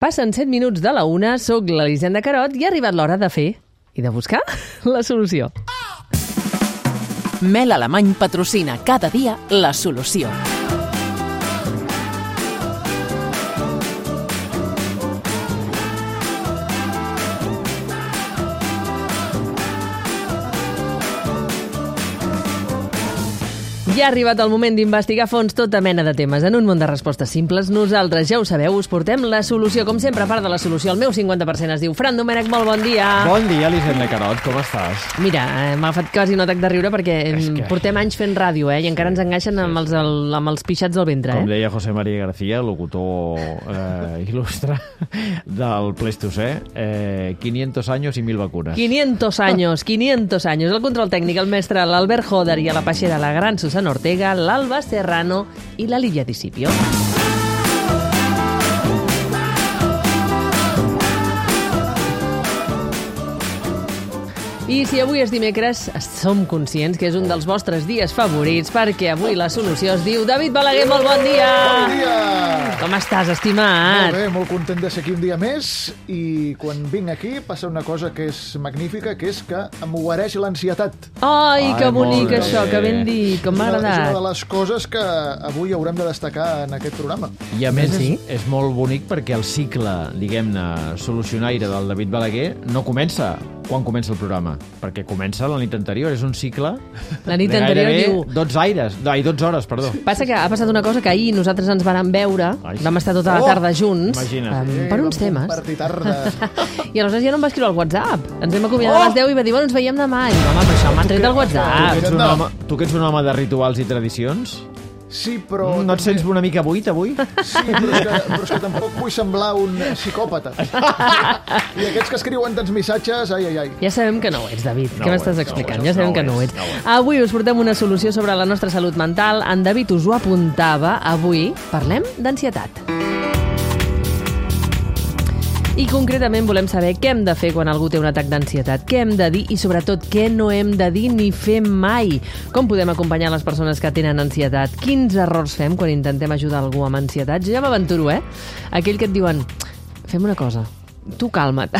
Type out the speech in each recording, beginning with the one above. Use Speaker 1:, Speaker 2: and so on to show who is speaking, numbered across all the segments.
Speaker 1: Passen 7 minuts de la 1, soc l'Elisenda Carot i ha arribat l'hora de fer i de buscar la solució.
Speaker 2: Mel Alemany patrocina cada dia la solució.
Speaker 1: Ja ha arribat el moment d'investigar a fons tota mena de temes. En un món de respostes simples, nosaltres, ja ho sabeu, us portem la solució. Com sempre, a part de la solució, el meu 50% es diu Fran Domènech, molt bon dia.
Speaker 3: Bon dia, Elisenda Carot, com estàs?
Speaker 1: Mira, m'ha agafat quasi un atac de riure perquè portem anys fent ràdio, i encara ens enganxen amb els pixats del ventre.
Speaker 3: Com deia José María García, locutor il·lustre del Pleistocè, 500 años y 1000 vacunas.
Speaker 1: 500 años. El control tècnic, el mestre l'Albert Joder i a la peixera la gran Susana Ortega, l'Alba Serrano i la Lívia Discipio. I si avui és dimecres, som conscients que és un dels vostres dies favorits, perquè avui la solució es diu David Balaguer, molt bon dia!
Speaker 4: Bon dia!
Speaker 1: Com estàs, estimat?
Speaker 4: Molt bé, molt content de ser aquí un dia més, i quan vinc aquí passa una cosa que és magnífica, que és que em guareix l'ansietat.
Speaker 1: Ai, que bonic
Speaker 3: molt
Speaker 1: això,
Speaker 3: bé.
Speaker 1: que ben dit, com m'ha
Speaker 4: És una
Speaker 1: agradat.
Speaker 4: de les coses que avui haurem de destacar en aquest programa.
Speaker 3: I a més
Speaker 1: Sí?
Speaker 3: és molt bonic perquè el cicle, diguem-ne, solucionaire del David Balaguer no comença quan comença el programa, perquè comença la nit anterior, és un cicle
Speaker 1: La nit
Speaker 3: de
Speaker 1: anterior
Speaker 3: gairebé
Speaker 1: diu...
Speaker 3: 12 hores, perdó.
Speaker 1: Passa que ha passat una cosa que ahir nosaltres ens vàrem veure,
Speaker 3: Ai, sí.
Speaker 1: vam estar tota la tarda junts,
Speaker 3: Imagina't.
Speaker 1: per uns temes,
Speaker 4: Vam compartir tarda.
Speaker 1: i aleshores ja no em va escriure al WhatsApp. Ens vam acomiadar a les 10 i va dir, bueno, ens veiem demà. I home, però això m'ha tret del WhatsApp.
Speaker 3: Tu que ets un home de rituals i tradicions,
Speaker 4: Sí, però...
Speaker 3: no et sents una mica buit avui?
Speaker 4: Sí, però és que tampoc vull semblar un psicòpata. I aquests que escriuen tants missatges, ai.
Speaker 1: Ja sabem que no ho ets, David.
Speaker 3: No
Speaker 1: Què
Speaker 3: ho
Speaker 1: m'estàs
Speaker 3: ets,
Speaker 1: explicant?
Speaker 3: no ho
Speaker 1: Ja
Speaker 3: ets,
Speaker 1: sabem
Speaker 3: no
Speaker 1: que
Speaker 3: ho
Speaker 1: no ho
Speaker 3: ets,
Speaker 1: ets.
Speaker 3: no ho ets.
Speaker 1: Avui us portem una solució sobre la nostra salut mental. En David us ho apuntava. Avui parlem d'ansietat. I concretament volem saber què hem de fer quan algú té un atac d'ansietat, què hem de dir i sobretot què no hem de dir ni fer mai. Com podem acompanyar les persones que tenen ansietat? Quins errors fem quan intentem ajudar algú amb ansietat? Jo ja m'aventuro, Aquell que et diuen, fem una cosa, tu calma't.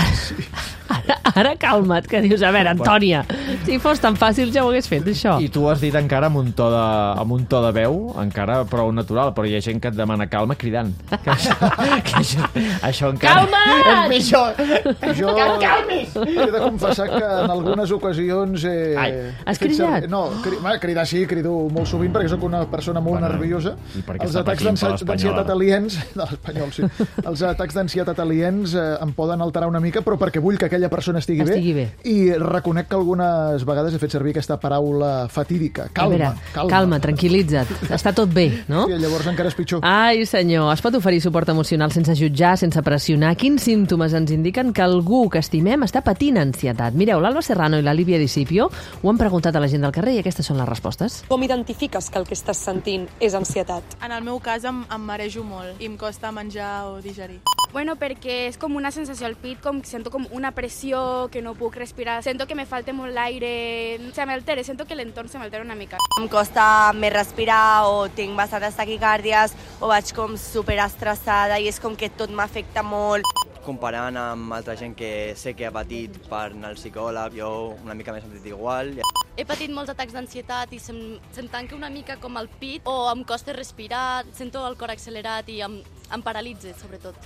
Speaker 1: Ara calma't, que dius, a veure, Antònia, si fos tan fàcil ja ho hagués fet, això.
Speaker 3: I tu has dit encara amb un to de veu, encara prou natural, però hi ha gent que et demana calma cridant. Que això encara...
Speaker 1: Calma't!
Speaker 3: És pitjor!
Speaker 4: Jo
Speaker 3: Que et calmis!
Speaker 4: he de confessar que en algunes ocasions
Speaker 1: Has cridat?
Speaker 4: No, cridar sí, crido molt sovint perquè sóc una persona molt nerviosa.
Speaker 3: i perquè
Speaker 4: Els
Speaker 3: està
Speaker 4: atacs
Speaker 3: patint per l'Espanyola.
Speaker 4: d'ansietat aliens... De l'Espanyol, sí. Els atacs d'ansietat aliens em poden alterar una mica, però perquè vull que aquella persona estigui bé. I reconec que algunes vegades he fet servir aquesta paraula fatídica.
Speaker 1: Calma, tranquil·litza't. Està tot bé, no?
Speaker 4: I llavors encara és pitjor.
Speaker 1: Ai, senyor, es pot oferir suport emocional sense jutjar, sense pressionar? Quins símptomes ens indiquen que algú que estimem està patint ansietat? Mireu, l'Alba Serrano i la Lívia Discipio ho han preguntat a la gent del carrer i aquestes són les respostes.
Speaker 5: Com identifiques que el que estàs sentint és ansietat?
Speaker 6: En el meu cas em marejo molt i em costa menjar o digerir.
Speaker 7: Bueno, perquè és com una sensació al pit, com sento com una pressió, que no puc respirar, sento que me falta molt l'aire, se m'altera, sento que l'entorn se m'altera una mica.
Speaker 8: Em costa més respirar o tinc bastantes taquicàrdies o vaig com superestressada i és com que tot m'afecta molt.
Speaker 9: Comparant amb altra gent que sé que ha patit per anar al psicòleg, jo una mica m'he sentit igual.
Speaker 10: He patit molts atacs d'ansietat i se'm tanca una mica com el pit o em costa respirar, sento el cor accelerat i em paralitza, sobretot.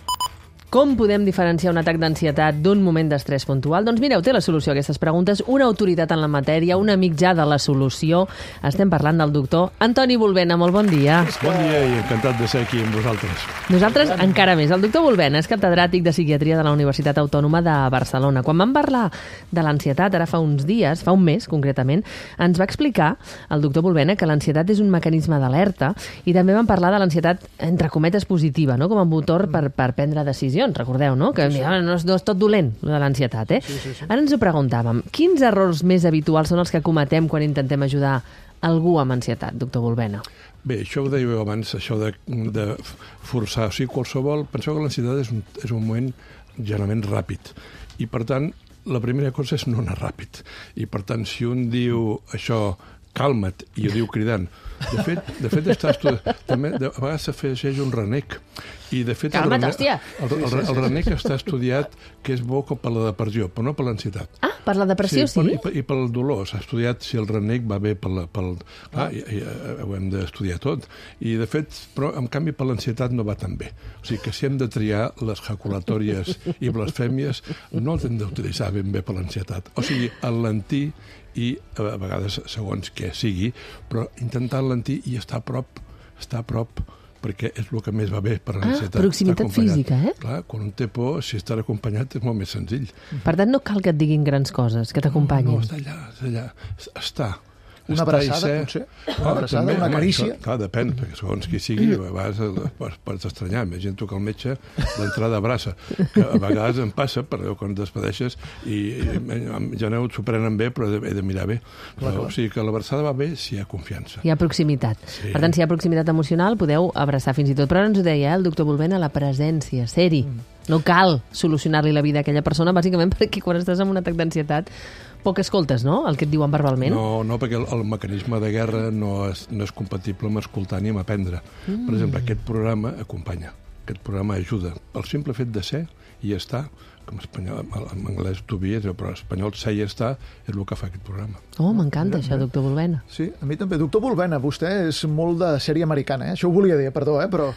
Speaker 1: Com podem diferenciar un atac d'ansietat d'un moment d'estrès puntual? Doncs mireu, té la solució a aquestes preguntes una autoritat en la matèria, un amic ja de la solució. Estem parlant del doctor Antoni Volbena. Molt bon dia.
Speaker 11: Bon dia i encantat de ser aquí amb vosaltres.
Speaker 1: Nosaltres encara més. El doctor Volbena és catedràtic de psiquiatria de la Universitat Autònoma de Barcelona. Quan vam parlar de l'ansietat, ara fa uns dies, fa un mes concretament, ens va explicar el doctor Volbena que l'ansietat és un mecanisme d'alerta i també vam parlar de l'ansietat, entre cometes, positiva, no? Com a motor per prendre decisions. Recordeu, no? Que sí. No és tot dolent, de l'ansietat,
Speaker 4: Sí.
Speaker 1: Ara ens ho preguntàvem. Quins errors més habituals són els que cometem quan intentem ajudar algú amb ansietat, doctor Volbena?
Speaker 11: Bé, això ho dèieu abans, això de forçar. O sigui, qualsevol... Penseu que l'ansietat és un moment generalment ràpid. I, per tant, la primera cosa és no anar ràpid. I, per tant, si un diu això, calma't, i ho diu cridant. De fet, també a vegades s'afegeix un renec. I, de fet,
Speaker 1: calma't, hòstia!
Speaker 11: El renec està estudiat que és bo per la depressió, però no per l'ansietat.
Speaker 1: Ah, per la depressió, sí?
Speaker 11: I pel dolor. S'ha estudiat si el renec va bé pel... ho hem d'estudiar tot. I, de fet, però, en canvi, per l'ansietat no va tan bé. O sigui que si hem de triar les jaculatòries i blasfèmies, no els hem d'utilitzar ben bé per l'ansietat. O sigui, alentir i, a vegades, segons què sigui, però intentar alentir i estar a prop, perquè és el que més va bé per l'ansietat.
Speaker 1: Proximitat física, eh?
Speaker 11: Clar, quan un té por, si està acompanyat és molt més senzill.
Speaker 1: Per tant, no cal que et diguin grans coses, que t'acompanyin.
Speaker 11: No, està allà. Està.
Speaker 4: Una abraçada, potser? Una abraçada, una carícia?
Speaker 11: Clar, depèn, perquè segons qui sigui, a vegades pots estranyar. Imagina't tu que el metge d'entrada abraça, que a vegades em passa, però quan et despedeixes i ja no s'ho prenen bé, però he de mirar bé. O sigui que l'abraçada va bé si hi ha confiança.
Speaker 1: Hi ha proximitat.
Speaker 11: Sí.
Speaker 1: Per tant, si hi ha proximitat emocional, podeu abraçar fins i tot. Però ara ens ho deia el doctor Bulbena, la presència, ser-hi. No cal solucionar-li la vida a aquella persona, bàsicament perquè quan estàs en un atac d'ansietat poc escoltes, no?, el que et diuen verbalment.
Speaker 11: No, perquè el mecanisme de guerra no és compatible amb escoltar ni amb aprendre. Per exemple, aquest programa acompanya, aquest programa ajuda. El simple fet de ser i estar, com en anglès to be, però en espanyol ser i estar és el que fa aquest programa.
Speaker 1: Oh, m'encanta això, doctor Bulbena.
Speaker 4: Sí, a mi també. Doctor Bulbena, vostè és molt de sèrie americana, eh? Això ho volia dir, perdó, però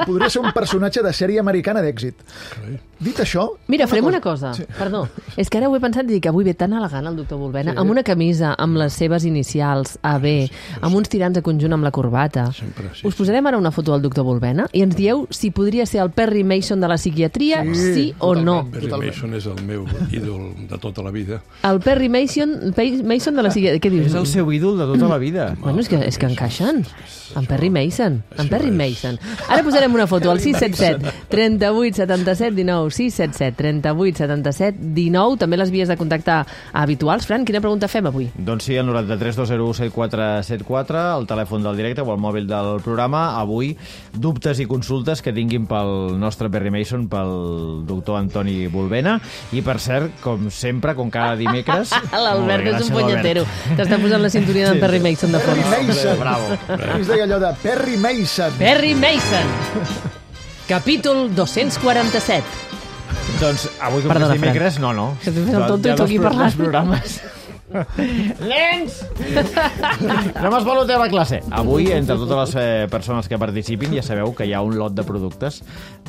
Speaker 4: podria ser un personatge de sèrie americana d'èxit. Dit això...
Speaker 1: Mira, farem una cosa. Sí. Perdó. És que ara ho he pensat i dic que avui ve tan elegant el doctor Bulbena, amb una camisa amb les seves inicials, AB, amb uns tirants a conjunt amb la corbata. Us posarem ara una foto del doctor Bulbena i ens dieu si podria ser el Perry Mason de la psiquiatria, sí o no.
Speaker 11: Perry Mason és el meu ídol de tota la vida.
Speaker 1: El Perry Mason de la psiquiatria. Què dius?
Speaker 3: És el seu ídol de tota la vida.
Speaker 1: Bueno, és que encaixen. En Perry Mason. Ara posarem una foto al 677 38 77 19 677 38 77 19. També les vies de contactar habituals. Fran, quina pregunta fem avui?
Speaker 3: Doncs sí, el 93 201 7474, el telèfon del directe o el mòbil del programa. Avui, dubtes i consultes que tinguin pel nostre Perry Mason, pel doctor Antoni Bulbena. I, per cert, com sempre, com cada dimecres...
Speaker 1: L'Albert és un punyetero. T'està posant la sintonia d'en Perry Mason de fons.
Speaker 4: Perry Mason.
Speaker 3: Bravo.
Speaker 4: Es deia allò de Perry Mason.
Speaker 1: Perry Mason. Capítol 247.
Speaker 3: Doncs avui, com que és dimecres, no.
Speaker 1: Que tu fes el tonto i tu aquí parlant.
Speaker 3: Programes. Nens! No m'esvaloteu a la classe. Avui, entre totes les persones que participin, ja sabeu que hi ha un lot de productes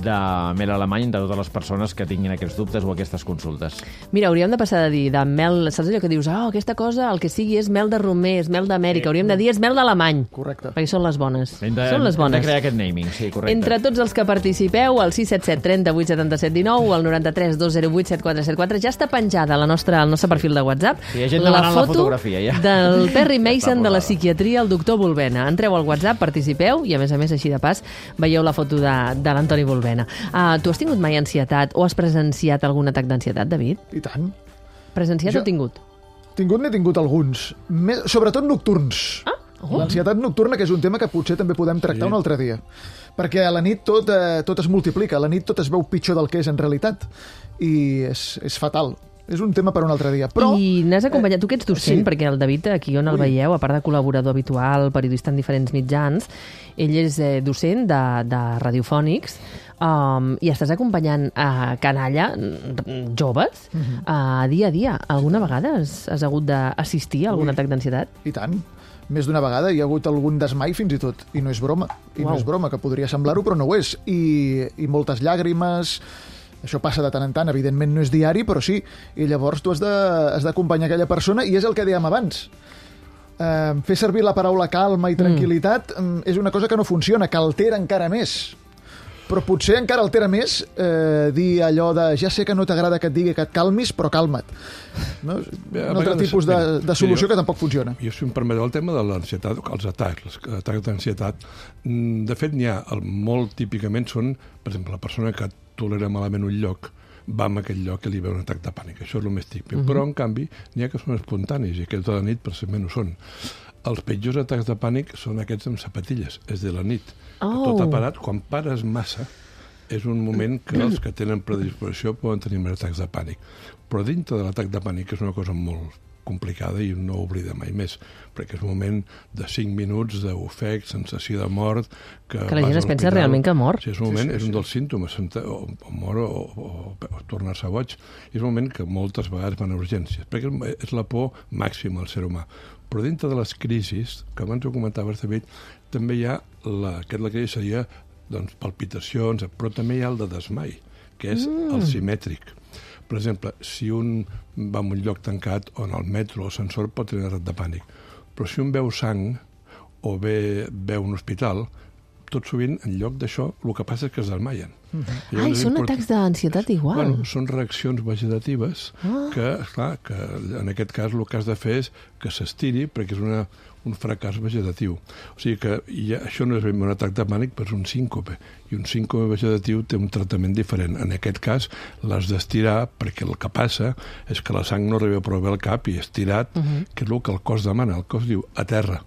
Speaker 3: de mel alemany de totes les persones que tinguin aquests dubtes o aquestes consultes.
Speaker 1: Mira, hauríem de passar de dir de mel... Saps allò que dius, aquesta cosa, el que sigui és mel de romer, és mel d'Amèrica. Hauríem de dir és mel d'alemany.
Speaker 4: Correcte.
Speaker 1: Perquè són les bones.
Speaker 3: Hem de crear aquest naming, sí, correcte.
Speaker 1: Entre tots els que participeu, al 677 38 77 19 o al 93 208 7474, ja està penjada al nostre perfil de WhatsApp.
Speaker 3: Sí, hi ha gent demanant la fotografia, ja.
Speaker 1: Del Perry Mason de la psiquiatria, el doctor Bulbena. Entreu al WhatsApp, participeu i, a més, així de pas, veieu la foto de l'Antoni Bulbena. Tu has tingut mai ansietat o has presenciat algun atac d'ansietat, David?
Speaker 4: I tant.
Speaker 1: Presenciat o tingut?
Speaker 4: N'he tingut alguns. Sobretot nocturns. L'ansietat nocturna, que és un tema que potser també podem tractar un altre dia. Perquè a la nit tot es multiplica, a la nit tot es veu pitjor del que és en realitat. I és fatal. És un tema per un altre dia. Però...
Speaker 1: I n'has acompanyat, tu que ets docent, perquè el David, aquí on el veieu, a part de col·laborador habitual, periodista en diferents mitjans, ell és docent de radiofònics, i estàs acompanyant a canalla joves dia a dia. Alguna vegada has hagut d'assistir a algun atac d'ansietat?
Speaker 4: I tant. Més d'una vegada hi ha hagut algun desmai fins i tot, i no és broma. No és broma, que podria semblar-ho, però no ho és. I moltes llàgrimes... Això passa de tant en tant, evidentment no és diari, però sí. I llavors tu has d'acompanyar aquella persona, i és el que dèiem abans. Fer servir la paraula calma i tranquil·litat és una cosa que no funciona, que altera encara més. Però potser encara altera més dir allò de ja sé que no t'agrada que et digui que et calmis, però calma't. No? Un altre tipus de solució que tampoc funciona.
Speaker 11: Jo, si em permeteu, el tema de l'ansietat, els atacs d'ansietat, de fet n'hi ha, molt típicament són, per exemple, la persona que tolera malament un lloc, va a aquell lloc i li ve un atac de pànic. Això és el més típic. Però, en canvi, n'hi ha que són espontanis, i aquests de la nit precisament ho són. Els pitjors atacs de pànic són aquests amb sapatilles, és de la nit. Tot ha parat. Quan pares massa, és un moment que els que tenen predisposició poden tenir més atacs de pànic. Però dintre de l'atac de pànic, que és una cosa molt complicada i no oblida mai més, perquè és un moment de 5 minuts d'ofec, sensació de mort...
Speaker 1: Que la gent es pensa realment que mor.
Speaker 11: Sí, és un moment, és un dels símptomes, o mor o tornar-se boig. És un moment que moltes vegades van a urgències, perquè és la por màxima al ser humà. Però dintre de les crisis, que abans ho comentaves, David, també hi ha la crisi seria palpitacions, però també hi ha el de desmai, que és el simètric. Per exemple, si un va a un lloc tancat o en el metro o l'ascensor pot tenir atac de pànic, però si un veu sang o veu un hospital, tot sovint, en lloc d'això, el que passa és que es desmaien.
Speaker 1: Ai, són atacs d'ansietat igual.
Speaker 11: Bueno, són reaccions vegetatives que, esclar, que en aquest cas el que has de fer és que s'estiri perquè és un fracàs vegetatiu. O sigui que això no és ben un atac de pànic, però és un síncope. I un síncope vegetatiu té un tractament diferent. En aquest cas l'has d'estirar perquè el que passa és que la sang no arriba prou bé al cap i estirat, que és el que el cos demana. El cos diu a terra.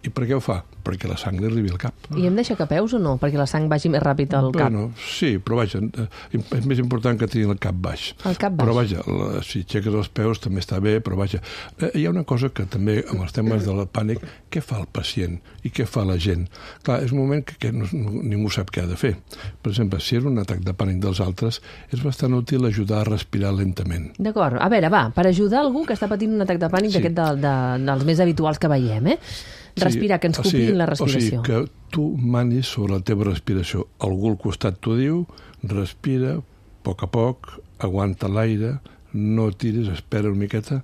Speaker 11: I per què ho fa? Perquè la sang li arribi al cap.
Speaker 1: I hem d'aixecar peus o no? Perquè la sang vagi més ràpid al cap.
Speaker 11: Bueno, sí, però vaja, és més important que tenir el cap baix.
Speaker 1: El cap baix.
Speaker 11: Però vaja, si aixeques els peus també està bé, però vaja, hi ha una cosa que també, amb els temes del pànic, què fa el pacient i què fa la gent? Clar, és un moment que ningú sap què ha de fer. Per exemple, si és un atac de pànic dels altres, és bastant útil ajudar a respirar lentament.
Speaker 1: D'acord. A veure, va, per ajudar algú que està patint un atac de pànic d'aquest dels més habituals que veiem, respirar, que ens copiïn la respiració.
Speaker 11: O sigui, que tu manis sobre la teva respiració. Algú al costat t'ho diu, respira, a poc, aguanta l'aire, no tiris, espera una miqueta,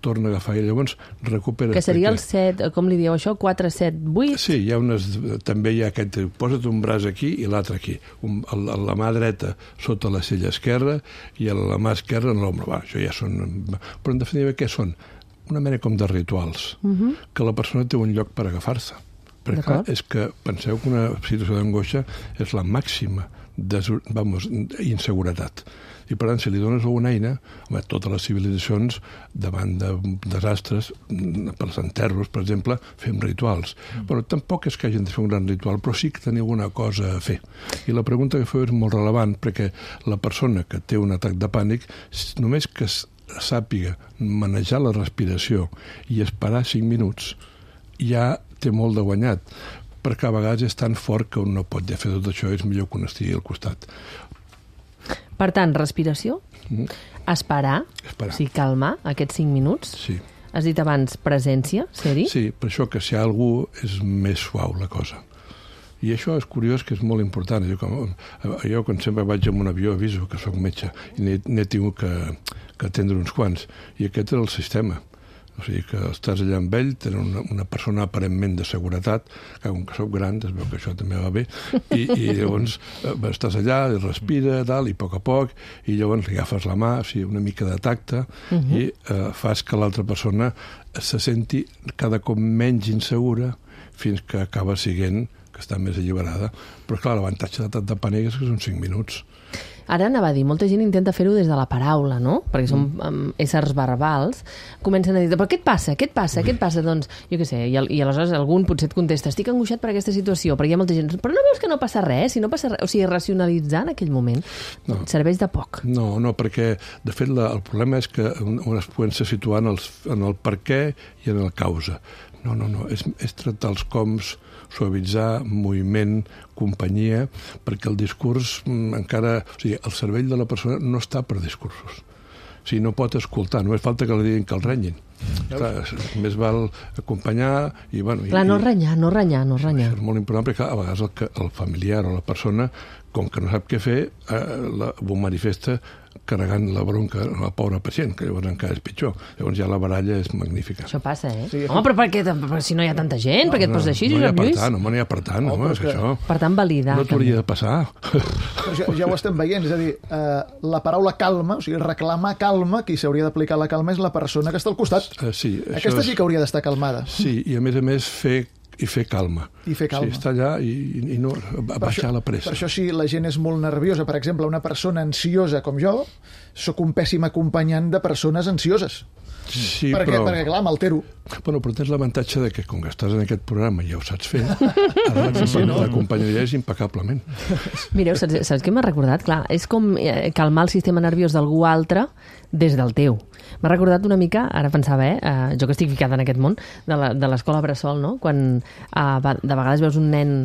Speaker 11: torna a agafar i llavors recupera.
Speaker 1: Que seria el 7, com li dieu això, 4, 7, 8?
Speaker 11: Sí, també hi ha aquest, posa't un braç aquí i l'altre aquí. La mà dreta sota la cella esquerra i la mà esquerra en l'ombra. Això ja són... Però en definitiva, què són? Una mena com de rituals, que la persona té un lloc per agafar-se. Perquè clar, és que penseu que una situació d'angoixa és la màxima inseguretat. I per tant, si li dones alguna eina, totes les civilitzacions, davant de desastres, pels enterros, per exemple, fem rituals. Però tampoc és que hagin de fer un gran ritual, però sí que tenir alguna cosa a fer. I la pregunta que feu és molt relevant, perquè la persona que té un atac de pànic, només que sàpiga manejar la respiració i esperar 5 minuts, ja té molt de guanyat, perquè a vegades és tan fort que un no pot fer tot això, és millor que un estigui al costat.
Speaker 1: Per tant, respiració, esperar, o sigui, calmar aquests 5 minuts.
Speaker 11: Sí.
Speaker 1: Has dit abans presència, ser-hi?
Speaker 11: Sí, per això que si hi ha algú és més suau la cosa. I això és curiós, que és molt important. Jo quan sempre vaig en un avió aviso que soc metge i n'he tingut que atendre uns quants. I aquest és el sistema. O sigui que estàs allà amb ell, tenen una persona aparentment de seguretat, que com que soc gran, es veu que això també va bé, i llavors estàs allà, i respira, i a poc, i llavors li agafes la mà, o sigui, una mica de tacte, i fas que l'altra persona se senti cada cop menys insegura fins que acaba sent que està més alliberada. Però clar, l'avantatge de pànic és que són 5 minuts.
Speaker 1: Ara anava a dir, molta gent intenta fer-ho des de la paraula, no? Perquè som éssers verbals. Comencen a dir, però què et passa? Què et passa? Què et passa? Doncs, jo què sé, i aleshores algun potser et contesta, estic angoixat per aquesta situació, perquè hi ha molta gent, però no veus que no passa res? Si no passa res, o sigui, racionalitzar en aquell moment serveix de poc.
Speaker 11: No, perquè, de fet, el problema és que es poden ser situar en el per què i en el causa. No, és tractar els coms, suavitzar, moviment, companyia, perquè el discurs encara... O sigui, el cervell de la persona no està per discursos. O sigui, no pot escoltar, només falta que li diguin que el renyin. Clar, més val acompanyar i... Clar,
Speaker 1: no renyar.
Speaker 11: És molt important perquè a vegades el familiar o la persona, com que no sap què fer, ho manifesta carregant la bronca a la pobra pacient, que llavors encara és pitjor. Llavors ja la baralla és magnífica.
Speaker 1: Això passa, Sí. Home, però per què? Si no hi ha tanta gent, per què et poses així, Josep Lluís?
Speaker 11: No n'hi ha per tant, és que això...
Speaker 1: Per tant, validar.
Speaker 11: No t'hauria de passar.
Speaker 4: Ja ho estem veient, és a dir, la paraula calma, o sigui, reclamar calma, qui s'hauria d'aplicar la calma és la persona que està al costat.
Speaker 11: Sí,
Speaker 4: aquesta sí que hauria d'estar calmada.
Speaker 11: Sí, i a més fer calma.
Speaker 4: I fer calma.
Speaker 11: Sí, estar allà i no baixar la pressa.
Speaker 4: Per això, si la gent és molt nerviosa, per exemple, una persona ansiosa com jo, sóc un pèssim acompanyant de persones ansioses.
Speaker 11: Sí,
Speaker 4: perquè, clar, m'altero.
Speaker 11: Bueno, però tens l'avantatge de que, com que estàs en aquest programa i ja ho saps fer, l'acompanyaràs impecablement.
Speaker 1: Mireu, saps què m'ha recordat? Clar, és com calmar el sistema nerviós d'algú altre des del teu. M'ha recordat una mica, ara pensava, jo que estic ficada en aquest món, de l'escola bressol, no? Quan de vegades veus un nen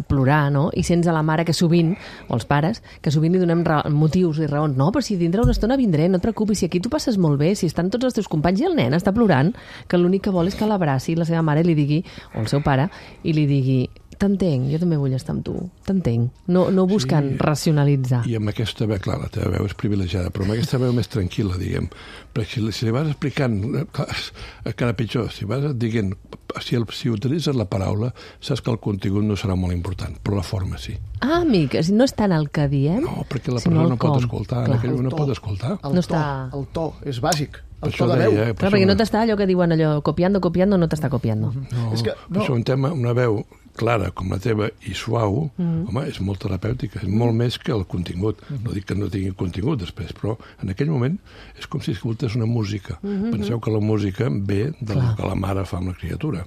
Speaker 1: plorar, no? I sents a la mare que sovint, o els pares, que sovint li donem motius i raons. No, però si dintre una estona vindré, no et preocupis, si aquí tu passes molt bé, si estan tots els teus companys i el nen està plorant, que l'únic que vol és que l'abraci la seva mare li digui, o el seu pare, i li digui: t'entenc, jo també vull estar amb tu, t'entenc. No busquen racionalitzar.
Speaker 11: I amb aquesta veu, clar, la teva veu és privilegiada, però amb aquesta veu més tranquil·la, diguem. Perquè si li vas explicant, encara pitjor, si vas dient, si utilitzes la paraula, saps que el contingut no serà molt important, però la forma sí.
Speaker 1: Ah, amic, no és tant el que diem,
Speaker 11: no, perquè la persona no pot escoltar, en aquell moment no pot escoltar.
Speaker 4: El to és bàsic. El to de veu.
Speaker 1: Clar, perquè no t'està allò que diuen allò, copiando, no t'està copiando.
Speaker 11: No, és que, no. Això un tema, una veu clara com la teva i suau, home, és molt terapèutica, és molt més que el contingut. No dic que no tingui contingut després, però en aquell moment és com si escoltés una música. Penseu que la música ve del que la mare fa amb la criatura.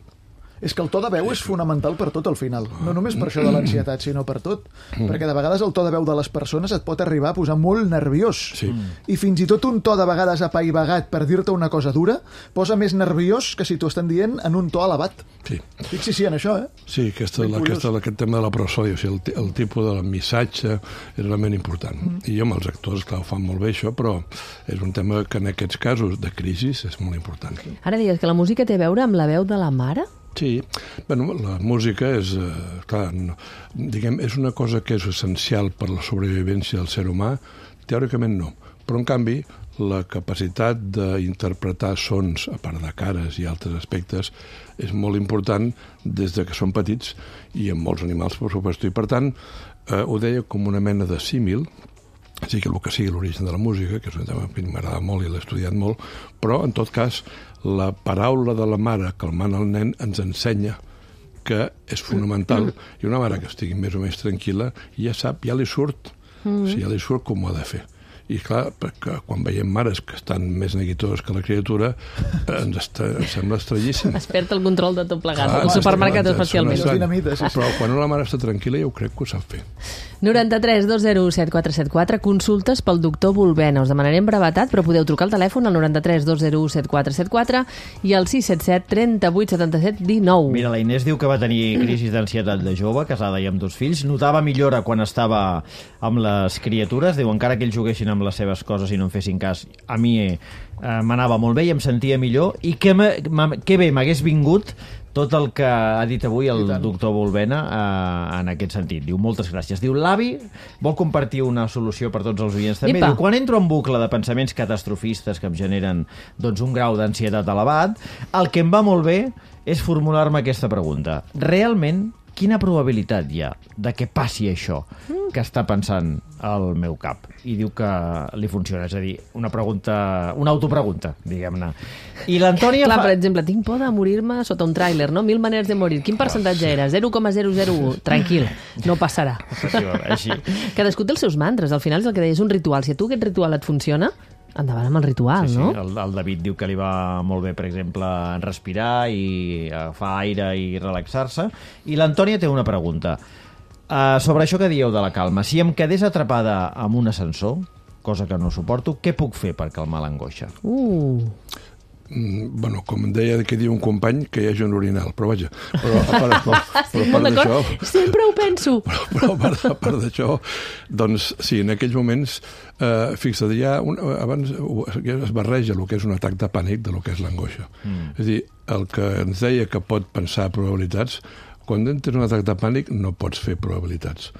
Speaker 4: És que el to de veu és fonamental per tot al final. No només per això de l'ansietat, sinó per tot. Perquè de vegades el to de veu de les persones et pot arribar a posar molt nerviós.
Speaker 11: Sí.
Speaker 4: I fins i tot un to de vegades apaivagat per dir-te una cosa dura posa més nerviós que si t'ho estan dient en un to elevat.
Speaker 11: Sí.
Speaker 4: Fixi-s'hi en això,
Speaker 11: Sí, aquest tema de la prosòdia, o sigui, el tipus del missatge és realment important. I amb els actors, clar, ho fan molt bé això, però és un tema que en aquests casos de crisi és molt important.
Speaker 1: Ara digues que la música té a veure amb la veu de la mare?
Speaker 11: Sí, bueno, la música és, clar, diguem, és una cosa que és essencial per la sobrevivència del ser humà, teòricament no, però en canvi la capacitat d'interpretar sons, a part de cares i altres aspectes, és molt important des de que són petits i en molts animals, per suposo, i per tant ho deia com una mena de símil, sí que el que sigui l'origen de la música, que és un tema que m'agrada molt i l'he estudiat molt, però en tot cas la paraula de la mare calmant el nen ens ensenya que és fonamental, i una mare que estigui més o menys tranquil·la ja sap, ja li surt, ja li surt com ho ha de fer. I clar, perquè quan veiem mares que estan més neguitoses que la criatura, ens sembla estranyíssim.
Speaker 1: Es perd el control de tot plegat, el supermercat especialment.
Speaker 11: Però quan una mare està tranquil·la jo crec que ho sap fer.
Speaker 1: 93 201 7474, consultes pel doctor Bulbena. Us demanarem brevetat, però podeu trucar al telèfon al 93 201 7474 i al 677 38 77 19.
Speaker 3: Mira, la Inés diu que va tenir crisi d'ansietat de jove, casada i amb 2 fills. Notava millora quan estava amb les criatures. Diu, encara que ells juguessin amb les seves coses i no em fessin cas, a mi m'anava molt bé i em sentia millor. I que bé m'hagués vingut tot el que ha dit avui el doctor Bulbena en aquest sentit. Diu, moltes gràcies. Diu, l'avi vol compartir una solució per tots els oients també. Diu, quan entro en bucle de pensaments catastrofistes que em generen doncs, un grau d'ansietat elevat, el que em va molt bé és formular-me aquesta pregunta. Realment, quina probabilitat hi ha de que passi això que està pensant al meu cap? I diu que li funciona, és a dir, una autopregunta, diguem-ne. I l'Antònia
Speaker 1: Clar, per exemple, tinc por de morir-me sota un tràiler, no? 1000 maneres de morir. Quin percentatge era? 0,001. Tranquil, no passarà.
Speaker 3: Així.
Speaker 1: Cadascú té els seus mantres. Al final és el que deies, un ritual. Si a tu aquest ritual et funciona, endavant amb el ritual, no?
Speaker 3: El David diu que li va molt bé, per exemple, respirar i agafar aire i relaxar-se. I l'Antònia té una pregunta. Sobre això que dieu de la calma, si em quedés atrapada amb un ascensor, cosa que no suporto, què puc fer per calmar l'angoixa?
Speaker 11: Bueno, com deia que diu un company, que hi hagi un orinal, però vaja, però part d'això...
Speaker 1: Sempre ho penso!
Speaker 11: Però a part d'això, doncs sí, en aquells moments, fixa't, abans es barreja el que és un atac de pànic de lo que és l'angoixa. És a dir, el que ens deia que pot pensar probabilitats, quan tens un atac de pànic no pots fer probabilitats.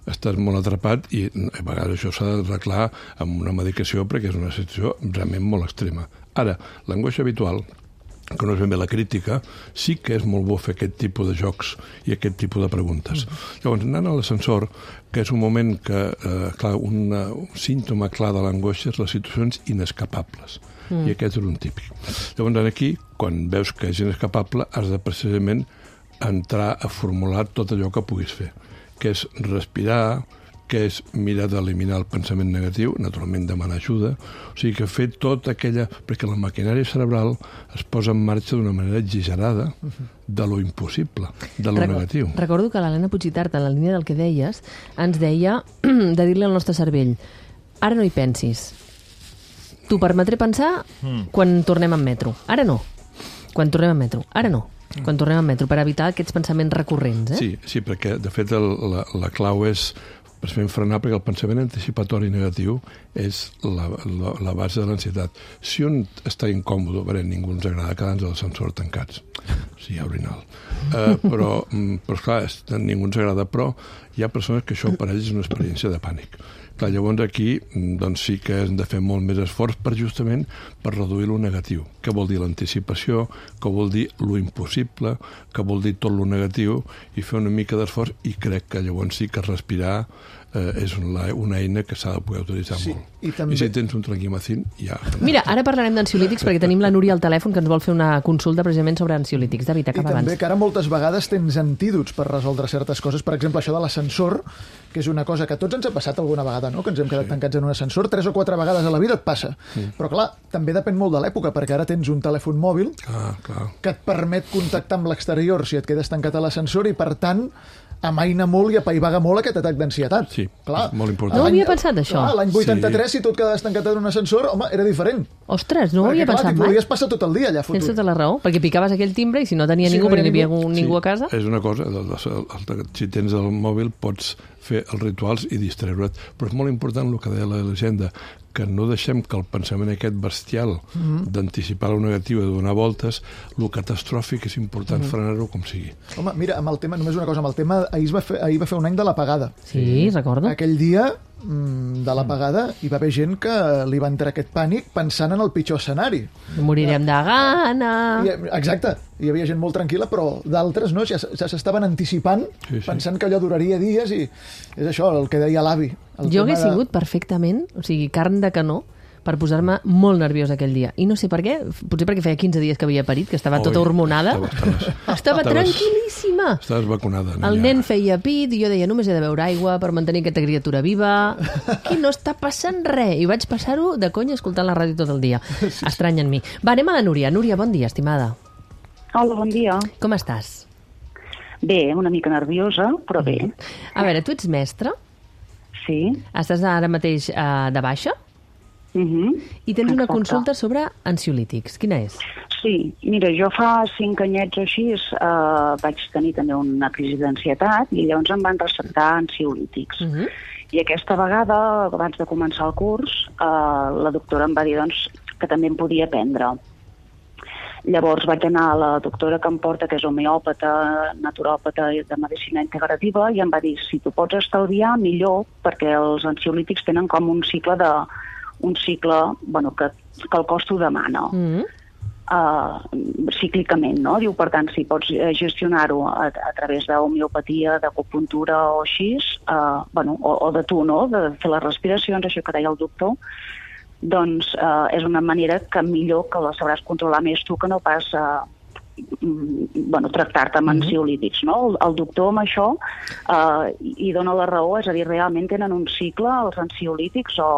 Speaker 11: Estàs molt atrapat i a vegades això s'ha d'arreglar amb una medicació perquè és una situació realment molt extrema. Ara, l'angoixa habitual, que no és ben bé la crítica, sí que és molt bo fer aquest tipus de jocs i aquest tipus de preguntes. Llavors, anant a l'ascensor, que és un moment que, clar, un símptoma clar de l'angoixa és les situacions inescapables. I aquest és un típic. Llavors, aquí, quan veus que és inescapable, has de precisament entrar a formular tot allò que puguis fer, que és respirar, que és mirar d'eliminar el pensament negatiu, naturalment demanar ajuda, o sigui que fer tot aquella... Perquè la maquinària cerebral es posa en marxa d'una manera exagerada de lo impossible, de lo negatiu.
Speaker 1: Recordo que l'Helena Puigitart, en la línia del que deies, ens deia de dir-li al nostre cervell: ara no hi pensis. T'ho permetré pensar quan tornem en metro. Ara no. Quan tornem en metro. Ara no. Quan tornem en metro, per evitar aquests pensaments recurrents,
Speaker 11: Sí, perquè, de fet, la clau és precisament frenar, perquè el pensament anticipatori negatiu és la base de l'ansietat. Si un està incòmode, ningú ens agrada quedar-nos a l'ascensor tancats, sí, orinal. Però esclar, ningú ens agrada, però hi ha persones que això per ells és una experiència de pànic. Clar, llavors aquí doncs sí que hem de fer molt més esforç justament per reduir lo negatiu. Què vol dir l'anticipació, què vol dir lo impossible, què vol dir tot lo negatiu, i fer una mica d'esforç, i crec que llavors sí que respirar és una eina que s'ha de poder utilitzar molt. I si tens un tranquimacin, ja...
Speaker 1: Mira, ara parlarem d'ansiolítics perquè tenim la Núria al telèfon que ens vol fer una consulta precisament sobre ansiolítics. David, acaba abans.
Speaker 4: I també que ara moltes vegades tens antídots per resoldre certes coses. Per exemple, això de l'ascensor, que és una cosa que a tots ens ha passat alguna vegada, no? Que ens hem quedat tancats en un ascensor 3 o 4 vegades a la vida et passa. Però clar, també depèn molt de l'època, perquè ara tens un telèfon mòbil que et permet contactar amb l'exterior si et quedes tancat a l'ascensor i, per tant, amaina molt i apaivaga molt aquest atac d'ansietat.
Speaker 11: Sí,
Speaker 4: clar,
Speaker 11: molt important.
Speaker 1: No ho havia pensat, això.
Speaker 4: L'any 83, si tu et quedaves tancat en un ascensor, home, era diferent.
Speaker 1: Ostres, no ho havia pensat mai.
Speaker 4: T'hi podies passar tot el dia allà fotut.
Speaker 1: Tens tota la raó, perquè picaves aquell timbre i si no tenia ningú, perquè no hi havia ningú a casa...
Speaker 11: És una cosa, si tens el mòbil pots fer els rituals i distreure't, però és molt important el que deia la llegenda, que no deixem que el pensament aquest bestial d'anticipar el negatiu i de donar voltes, el catastròfic és important frenar-ho com sigui.
Speaker 4: Home, mira, amb el tema, només una cosa, amb el tema, ahir va fer un any de l'apagada.
Speaker 1: Sí, recordo.
Speaker 4: Aquell dia de l'apagada hi va haver gent que li va entrar aquest pànic pensant en el pitjor escenari.
Speaker 1: Morirem de gana...
Speaker 4: Exacte, hi havia gent molt tranquil·la, però d'altres no, ja s'estaven anticipant, pensant que allò duraria dies, i és això, el que deia l'avi.
Speaker 1: Jo hagués sigut perfectament, o sigui, carn de canó, per posar-me molt nerviosa aquell dia. I no sé per què, potser perquè feia 15 dies que havia parit, que estava tota hormonada. Estava tranquil·líssima.
Speaker 11: Estaves vacunada.
Speaker 1: El nen feia pit i jo deia, només he de beure aigua per mantenir aquesta criatura viva. Aquí no està passant res. I vaig passar-ho de conya escoltant la ràdio tot el dia. Estrany en mi. Va, anem a la Núria. Núria, bon dia, estimada.
Speaker 12: Hola, bon dia.
Speaker 1: Com estàs?
Speaker 12: Bé, una mica nerviosa, però bé.
Speaker 1: A veure, tu ets mestra?
Speaker 12: Sí.
Speaker 1: Estàs ara mateix de baixa? I tens una consulta sobre ansiolítics. Quina és?
Speaker 12: Sí, mira, jo fa 5 anyets o així vaig tenir també una crisi d'ansietat i llavors em van receptar ansiolítics. I aquesta vegada, abans de començar el curs, la doctora em va dir que també em podia prendre. Llavors vaig anar a la doctora que em porta, que és homeòpata, naturòpata de medicina integrativa, i em va dir, si tu pots estalviar, millor, perquè els ansiolítics tenen com un cicle que el cos t'ho demana. Cíclicament, no? Diu, per tant, si pots gestionar-ho a través d'homeopatia, d'acupuntura o així, o de tu, no? De fer les respiracions, això que deia el doctor, doncs és una manera que millor que la sabràs controlar més tu que no pas tractar-te amb ansiolítics, no? El doctor amb això hi dona la raó, és a dir, realment tenen un cicle els ansiolítics o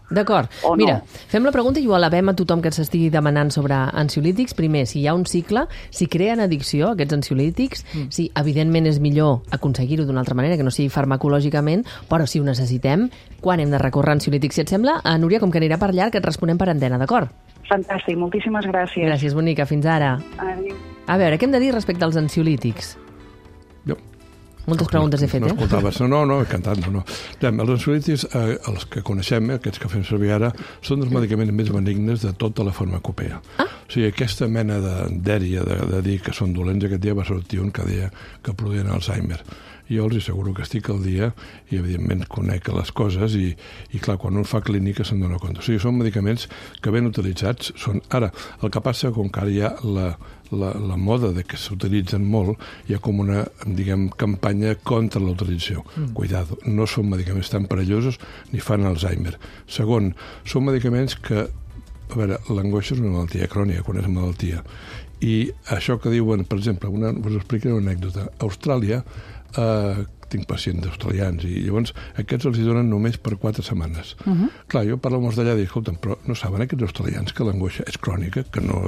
Speaker 1: D'acord. Mira, fem la pregunta i ho elevem a tothom que s'estigui demanant sobre ansiolítics. Primer, si hi ha un cicle, si creen addicció aquests ansiolítics, si evidentment és millor aconseguir-ho d'una altra manera, que no sigui farmacològicament, però si ho necessitem, quan hem de recórrer a ansiolítics? Si et sembla, Núria, com que anirà per llarg, et responem per antena, d'acord?
Speaker 12: Fantàstic, moltíssimes gràcies.
Speaker 1: Gràcies, bonica, fins ara.
Speaker 12: Adéu.
Speaker 1: A veure, què hem de dir respecte als ansiolítics? Moltes preguntes he fet,
Speaker 11: No escoltaves. No, he cantat, no. Els ansiolítics, els que coneixem, aquests que fem servir ara, són els medicaments més benignes de tota la farmacopea. O sigui, aquesta mena d'èria de dir que són dolents, aquest dia va sortir un que deia que produïen Alzheimer. Jo els asseguro que estic al dia i, evidentment, conec les coses i clar, quan un fa clínica se'n dona compte. O sigui, són medicaments que ben utilitzats són... Ara, el que passa, com que ara hi ha la moda de que s'utilitzen molt, hi ha com una, diguem, campanya contra la utilització. Cuidado, no són medicaments tan perillosos ni fan Alzheimer. Segon, són medicaments que... A veure, l'angoixa és una malaltia crònica, quan és malaltia. I això que diuen, per exemple, us explicaré una anècdota. A Austràlia tinc pacients australians, i llavors aquests els donen només per 4 setmanes. Clar, jo parlo amb els d'allà i dic, escolta, però no saben aquests australians que l'angoixa és crònica, que no...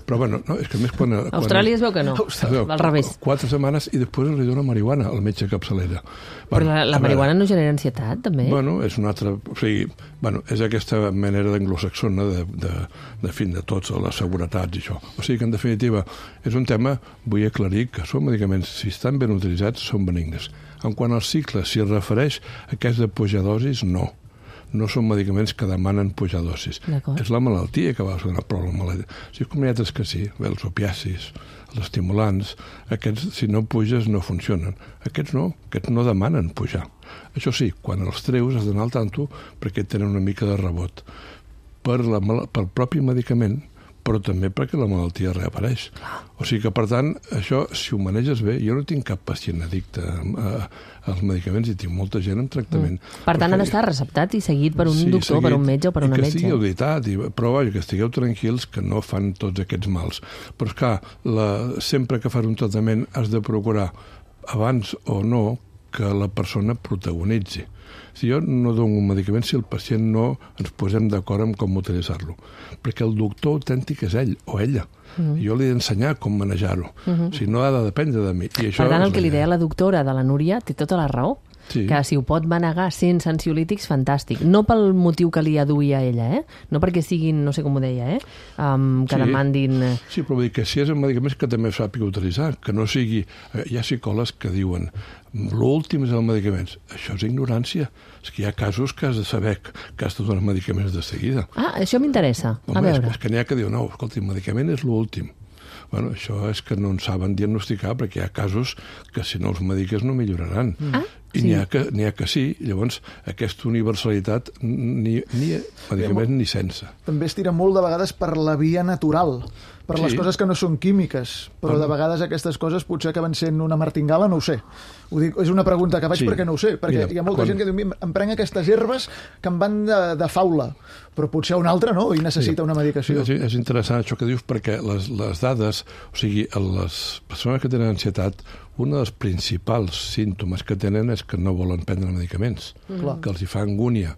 Speaker 11: Però bueno, no, és que més quan
Speaker 1: Austràlia es veu que no, al revés.
Speaker 11: 4 setmanes i després els dona marihuana al metge capçalera.
Speaker 1: Però la marihuana no genera ansietat, també?
Speaker 11: Bueno, és una altra... O sigui, bueno, és aquesta manera d'anglosaxona de tots, les seguretats i això. O sigui que, en definitiva, és un tema, vull aclarir, que són medicaments, si estan ben utilitzats, són benignes. En quant al cicle, si es refereix a aquest de pujar dosis, no. No són medicaments que demanen pujar dosis. És la malaltia que va donar problema. Si és com hi ha altres que sí, els opiacis, els estimulants, aquests, si no puges, no funcionen. Aquests no demanen pujar. Això sí, quan els treus has d'anar al tanto perquè tenen una mica de rebot pel propi medicament, però també perquè la malaltia reapareix. O sigui que, per tant, això, si ho maneges bé, jo no tinc cap pacient addicte als medicaments i tinc molta gent en tractament.
Speaker 1: Per tant, ha d'estar receptat i seguit per un doctor, per un metge o per una metge.
Speaker 11: I que estigui auditat, però vaja, que estigueu tranquils que no fan tots aquests mals. Però, esclar, sempre que fas un tractament has de procurar, abans o no, que la persona protagonitzi. Si jo no dono un medicament si el pacient no ens posem d'acord amb com utilitzar-lo. Perquè el doctor autèntic és ell o ella. Jo li he d'ensenyar com manejar-ho. Si no ha de dependre de mi. I això,
Speaker 1: per tant, el que li deia la doctora de la Núria té tota la raó.
Speaker 11: Sí.
Speaker 1: Que si ho pot manegar sense ansiolítics, fantàstic. No pel motiu que li aduïa ella, no perquè siguin, no sé com ho deia, que demandin...
Speaker 11: Sí, però vull dir que si és un medicament que també sàpiga utilitzar, que no sigui... Hi ha psicòlegs que diuen l'últim és el medicament. Això és ignorància. És que hi ha casos que has de saber que has de donar medicaments de seguida.
Speaker 1: Ah, això m'interessa. A veure.
Speaker 11: És que n'hi ha que dir, no, escolta, el medicament és l'últim. Bueno, això és que no en saben diagnosticar perquè hi ha casos que si no els mediques no milloraran. I n'hi ha que sí, llavors aquesta universalitat ni medicaments ni sense.
Speaker 4: També es tira molt de vegades per la via natural, per les coses que no són químiques, però de vegades aquestes coses potser acaben sent una martingala, no ho sé. Ho dic, és una pregunta que faig perquè no ho sé, perquè hi ha molta gent que diu, em prenc aquestes herbes que em van de faula, però potser un altre no, i necessita una medicació.
Speaker 11: Sí, és interessant això que dius, perquè les dades, o sigui, les persones que tenen ansietat, un dels principals símptomes que tenen és que no volen prendre medicaments, que els hi fa angúnia.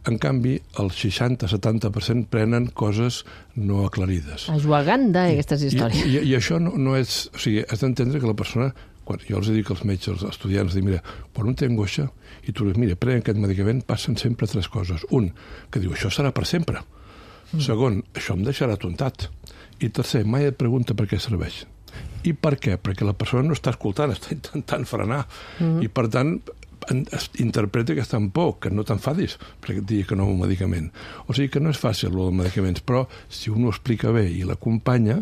Speaker 11: En canvi, el 60-70% prenen coses no aclarides.
Speaker 1: Ajuaganda, aquestes històries.
Speaker 11: I això no és... O sigui, has d'entendre que la persona... Quan jo els dic als metges, als estudiants, dic, mira, quan un té angoixa i tu dius, mira, pren aquest medicament, passen sempre 3 coses. Un, que diu, això serà per sempre. Segon, això em deixarà tontat. I tercer, mai et pregunta per què serveix. I per què? Perquè la persona no està escoltant, està intentant frenar. I, per tant, interpreta que està en por, que no t'enfadis perquè et digui que no un medicament. O sigui que no és fàcil, el dels medicaments, però si un ho explica bé i l'acompanya,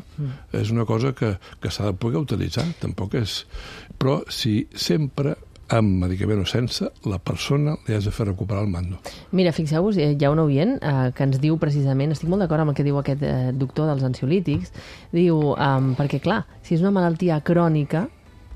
Speaker 11: és una cosa que s'ha de poder utilitzar. Tampoc és... Però si sempre amb medicament o sense, la persona li has de fer recuperar el mando.
Speaker 1: Mira, fixeu-vos, hi ha un oient que ens diu precisament, estic molt d'acord amb el que diu aquest doctor dels ansiolítics, diu, perquè clar, si és una malaltia crònica,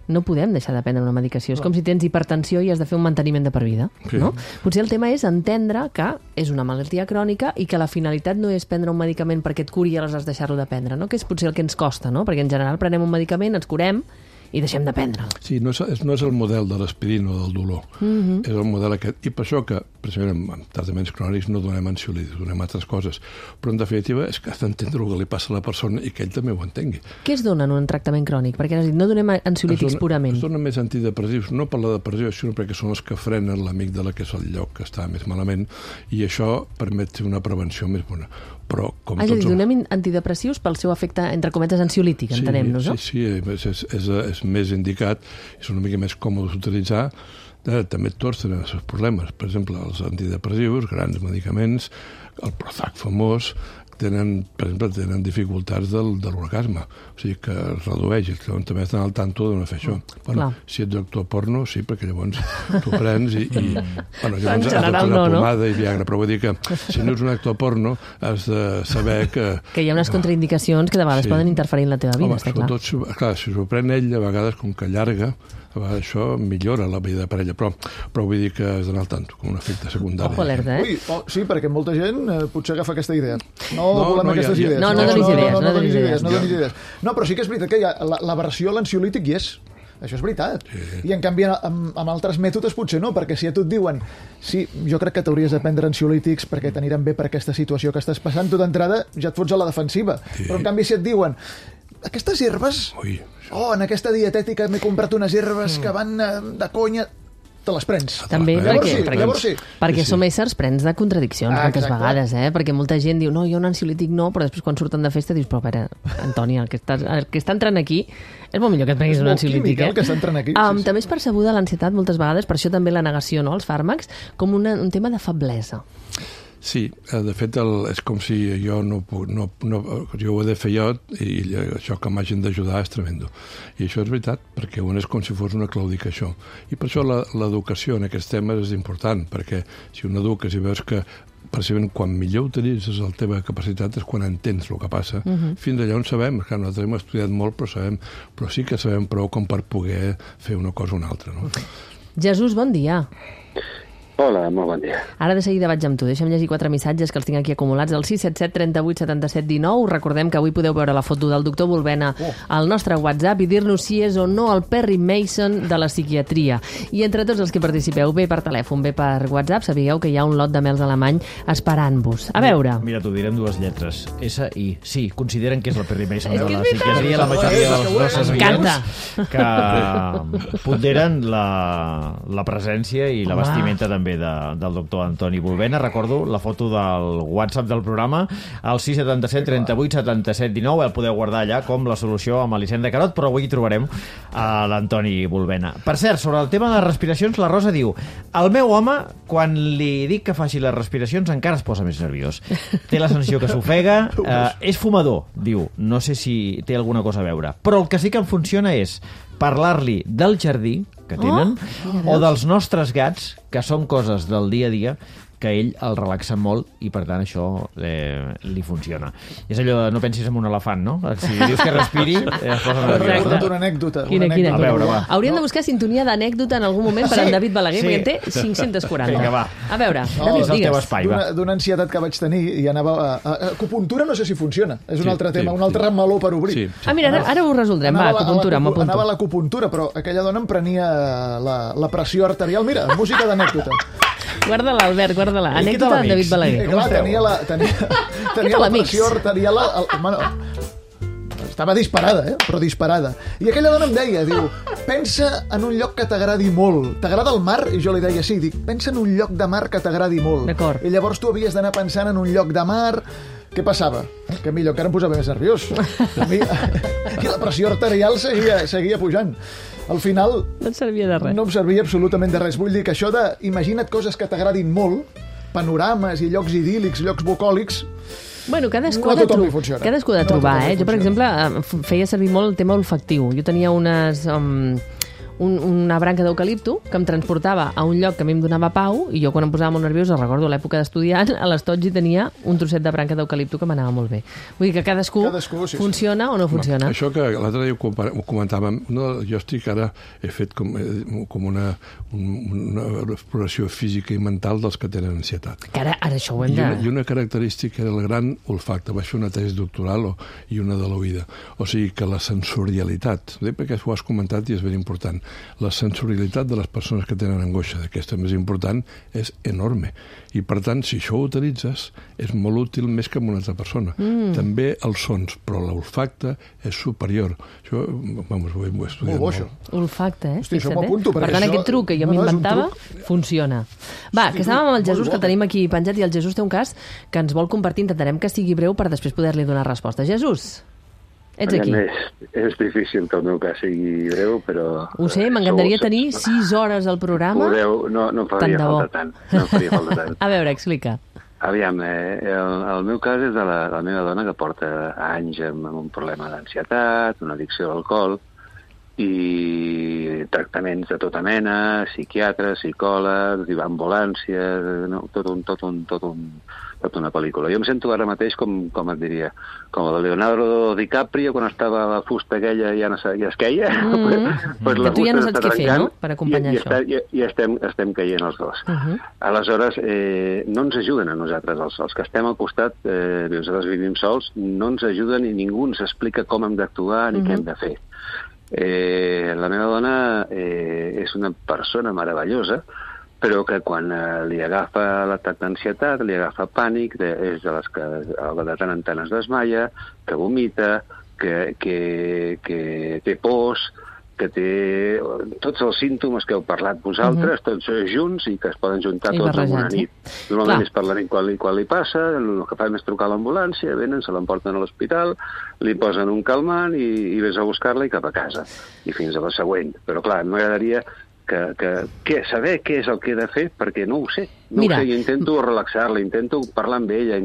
Speaker 1: no podem deixar de prendre una medicació. És com si tens hipertensió i has de fer un manteniment de per vida. No? Potser el tema és entendre que és una malaltia crònica i que la finalitat no és prendre un medicament perquè et curi i aleshores deixar-lo de prendre, no? Que és potser el que ens costa, no? Perquè en general prenem un medicament, ens curem i deixem de prendre'l.
Speaker 11: Sí, no és el model de l'aspirina o del dolor. És el model aquest. I per això que, precisament, en tractaments crònics no donem ansiolítics, donem altres coses. Però, en definitiva, és que has d'entendre el que li passa a la persona i que ell també ho entengui.
Speaker 1: Què es dona en un tractament crònic? Perquè has dit, no donem ansiolítics purament.
Speaker 11: Es donen més antidepressius, no per la depressió, sinó perquè són els que frenen l'amígdala, que és el lloc que està més malament, i això permet una prevenció més bona. Però, com
Speaker 1: donem antidepressius pel seu efecte, entre cometes, ansiolític, entenem-nos, no?
Speaker 11: Sí, és més indicat, és una mica més còmode d'utilitzar, també tots tenen els seus problemes. Per exemple, els antidepressius, grans medicaments, el Prozac famós, tenen dificultats de l'orgasme, o sigui que es redueix, i també estan al tanto de no fer això. Bueno, si ets actor porno, sí, perquè llavors t'ho prens i llavors has de posar pomada i Viagra, però vull dir que si no ets un actor porno has de saber que...
Speaker 1: Que hi ha unes contraindicacions que de vegades poden interferir en la teva vida, està clar.
Speaker 11: Clar, si s'ho pren ell, a vegades, com que allarga, això millora la vida de parella, però vull dir que has d'anar al tanto, com un efecte secundari.
Speaker 1: Ojo alerta,
Speaker 4: sí, perquè molta gent potser agafa aquesta idea. No volem aquestes idees.
Speaker 1: No donis idees.
Speaker 4: No, però sí que és veritat que la versió a l'ansiolític hi és. Això és veritat. I en canvi amb altres mètodes potser no, perquè si a tu et diuen sí, jo crec que t'hauries de prendre ansiolítics perquè t'aniran bé per aquesta situació que estàs passant, tu d'entrada ja et fots a la defensiva. Però en canvi si et diuen aquestes herbes, en aquesta dietètica m'he comprat unes herbes que van de conya, te les prens.
Speaker 1: També perquè som éssers plens de contradiccions moltes vegades, perquè molta gent diu no, jo un ansiolític no, però després quan surten de festa dius, però a veure, Antònia, el que està entrant aquí és molt millor que et prenguis un ansiolític.
Speaker 4: El que està entrant aquí.
Speaker 1: També és percebuda l'ansietat moltes vegades, per això també la negació, no, als fàrmacs, com un tema de feblesa.
Speaker 11: Sí, de fet és com si jo jo ho he de fer jo i això que m'hagin d'ajudar és tremendo. I això és veritat, perquè és com si fos una claudica això. I per això l'educació en aquests temes és important, perquè si un eduques i veus que precisament quan millor utilitzes la teva capacitat és quan entens el que passa. Fins allà on sabem, que nosaltres hem estudiat molt, però sí que sabem prou com per poder fer una cosa o una altra. No?
Speaker 1: Jesús, bon dia.
Speaker 13: Hola, molt bon dia.
Speaker 1: Ara de seguida vaig amb tu. Deixa'm llegir 4 missatges que els tinc aquí acumulats. El 677 38 77 19. Recordem que avui podeu veure la foto del doctor Bulbena al nostre WhatsApp i dir-nos si és o no el Perry Mason de la psiquiatria. I entre tots els que participeu, bé per telèfon, bé per WhatsApp, sabíeu que hi ha un lot de mels alemany esperant-vos. A veure.
Speaker 3: Mira, t'ho diré amb 2 lletres. S-I. Sí, consideren que és el Perry Mason de la psiquiatria, la majoria dels nostres oients que ponderen la presència i la vestimenta també del doctor Antoni Bulbena. Recordo la foto del WhatsApp del programa, al 677 38 77 19. El podeu guardar allà com la solució amb Elisenda Carot, però avui hi trobarem a l'Antoni Bulbena. Per cert, sobre el tema de les respiracions, la Rosa diu: el meu home, quan li dic que faci les respiracions, encara es posa més nerviós. Té la sensació que s'ofega, és fumador, diu. No sé si té alguna cosa a veure. Però el que sí que em funciona és parlar-li del jardí que tenen, o dels nostres gats, que són coses del dia a dia que ell el relaxa molt i per tant això li funciona. És allò de no pensis en un elefant, no? Si dius que respiri, es posa nerviós.
Speaker 4: Una anècdota.
Speaker 1: Quina? A veure, va. Hauríem de buscar sintonia d'anècdota en algun moment per en David Balaguer, perquè en té 540.
Speaker 3: Vinga, va.
Speaker 1: A veure,
Speaker 3: David, digues.
Speaker 4: D'una ansietat que vaig tenir i anava a acupuntura, no sé si funciona. És un altre tema, un altre meló per obrir.
Speaker 1: Mira, ara ho resoldrem. Va, acupuntura, m'apunto.
Speaker 4: Anava a l'acupuntura, però aquella dona em prenia la pressió arterial. Mira, música d'anècdota.
Speaker 1: Guarda-la, Albert, guarda-la. Anècdota de David Balaguer.
Speaker 4: Clar, tenia la pressió arterial... Estava disparada, però disparada. I aquella dona em deia, diu, pensa en un lloc que t'agradi molt. T'agrada el mar? I jo li deia, sí. Dic, pensa en un lloc de mar que t'agradi molt.
Speaker 1: D'acord.
Speaker 4: I llavors tu havies d'anar pensant en un lloc de mar... Què passava? Que millor encara em posava més nerviós. I la pressió arterial seguia pujant. Al final...
Speaker 1: No et servia de res.
Speaker 4: No em servia absolutament de res. Vull dir que això de imagina't coses que t'agradin molt, panorames i llocs idíl·lics, llocs bucòlics...
Speaker 1: Bueno, cadascú ha de trobar, Jo, per exemple, feia servir molt el tema olfactiu. Jo tenia una branca d'eucalipto que em transportava a un lloc que a mi em donava pau i jo quan em posava molt nerviosa, recordo l'època d'estudiant, a l'Estotgi tenia un trosset de branca d'eucalipto que m'anava molt bé. Vull dir que cadascú funciona o no funciona.
Speaker 11: Això que l'altre dia ho comentàvem, jo he fet com una exploració física i mental dels que tenen ansietat.
Speaker 1: Que ara això ho hem de...
Speaker 11: I una característica era el gran olfacte. Vaig fer una tesi doctoral i una de l'oïda. O sigui que la sensorialitat, perquè ho has comentat i és ben important, la sensorialitat de les persones que tenen angoixa, d'aquesta més important, és enorme. I, per tant, si això ho utilitzes, és molt útil més que amb una altra persona. També els sons, però l'olfacte és superior. Això, vamos, ho he estudiat molt.
Speaker 1: Olfacte,
Speaker 4: Hosti, això m'apunto.
Speaker 1: Per tant, aquest truc que jo m'inventava funciona. Va, que estàvem amb el Jesús, que el tenim aquí penjat, i el Jesús té un cas que ens vol compartir. Intentarem que sigui breu per després poder-li donar resposta. Jesús, ets aquí.
Speaker 13: És difícil que el meu cas sigui breu, però...
Speaker 1: Ho sé, m'encantaria tenir 6 hores al programa.
Speaker 13: No em faria falta tant.
Speaker 1: A veure, explica.
Speaker 13: Aviam, el meu cas és de la meva dona que porta anys amb un problema d'ansietat, una addicció a l'alcohol, i tractaments de tota mena, psiquiatres, psicòlegs, ambulàncies, tota una pel·lícula. Jo em sento ara mateix com et diria, com el Leonardo DiCaprio quan estava a la fusta aquella i ja es queia.
Speaker 1: Que tu ja no saps què fer, no?, per acompanyar això.
Speaker 13: I estem caient els dos. Aleshores, no ens ajuden a nosaltres, els que estem al costat, nosaltres vivim sols, no ens ajuden i ningú ens explica com hem d'actuar ni què hem de fer. La meva dona és una persona meravellosa, però que quan li agafa l'atac d'ansietat, li agafa pànic, és de les que de tant en tant es desmaia, que vomita, que té pors, que té tots els símptomes que heu parlat vosaltres, tots junts, i que es poden juntar tots en una nit. Normalment és per la nit quan li passa, el que fan és trucar a l'ambulància, venen, se l'emporten a l'hospital, li posen un calmant i vés a buscar-la i cap a casa, i fins a la següent. Però clar, m'agradaria saber què és el que he de fer, perquè no ho sé. No ho sé, jo intento relaxar-la, intento parlar amb ella,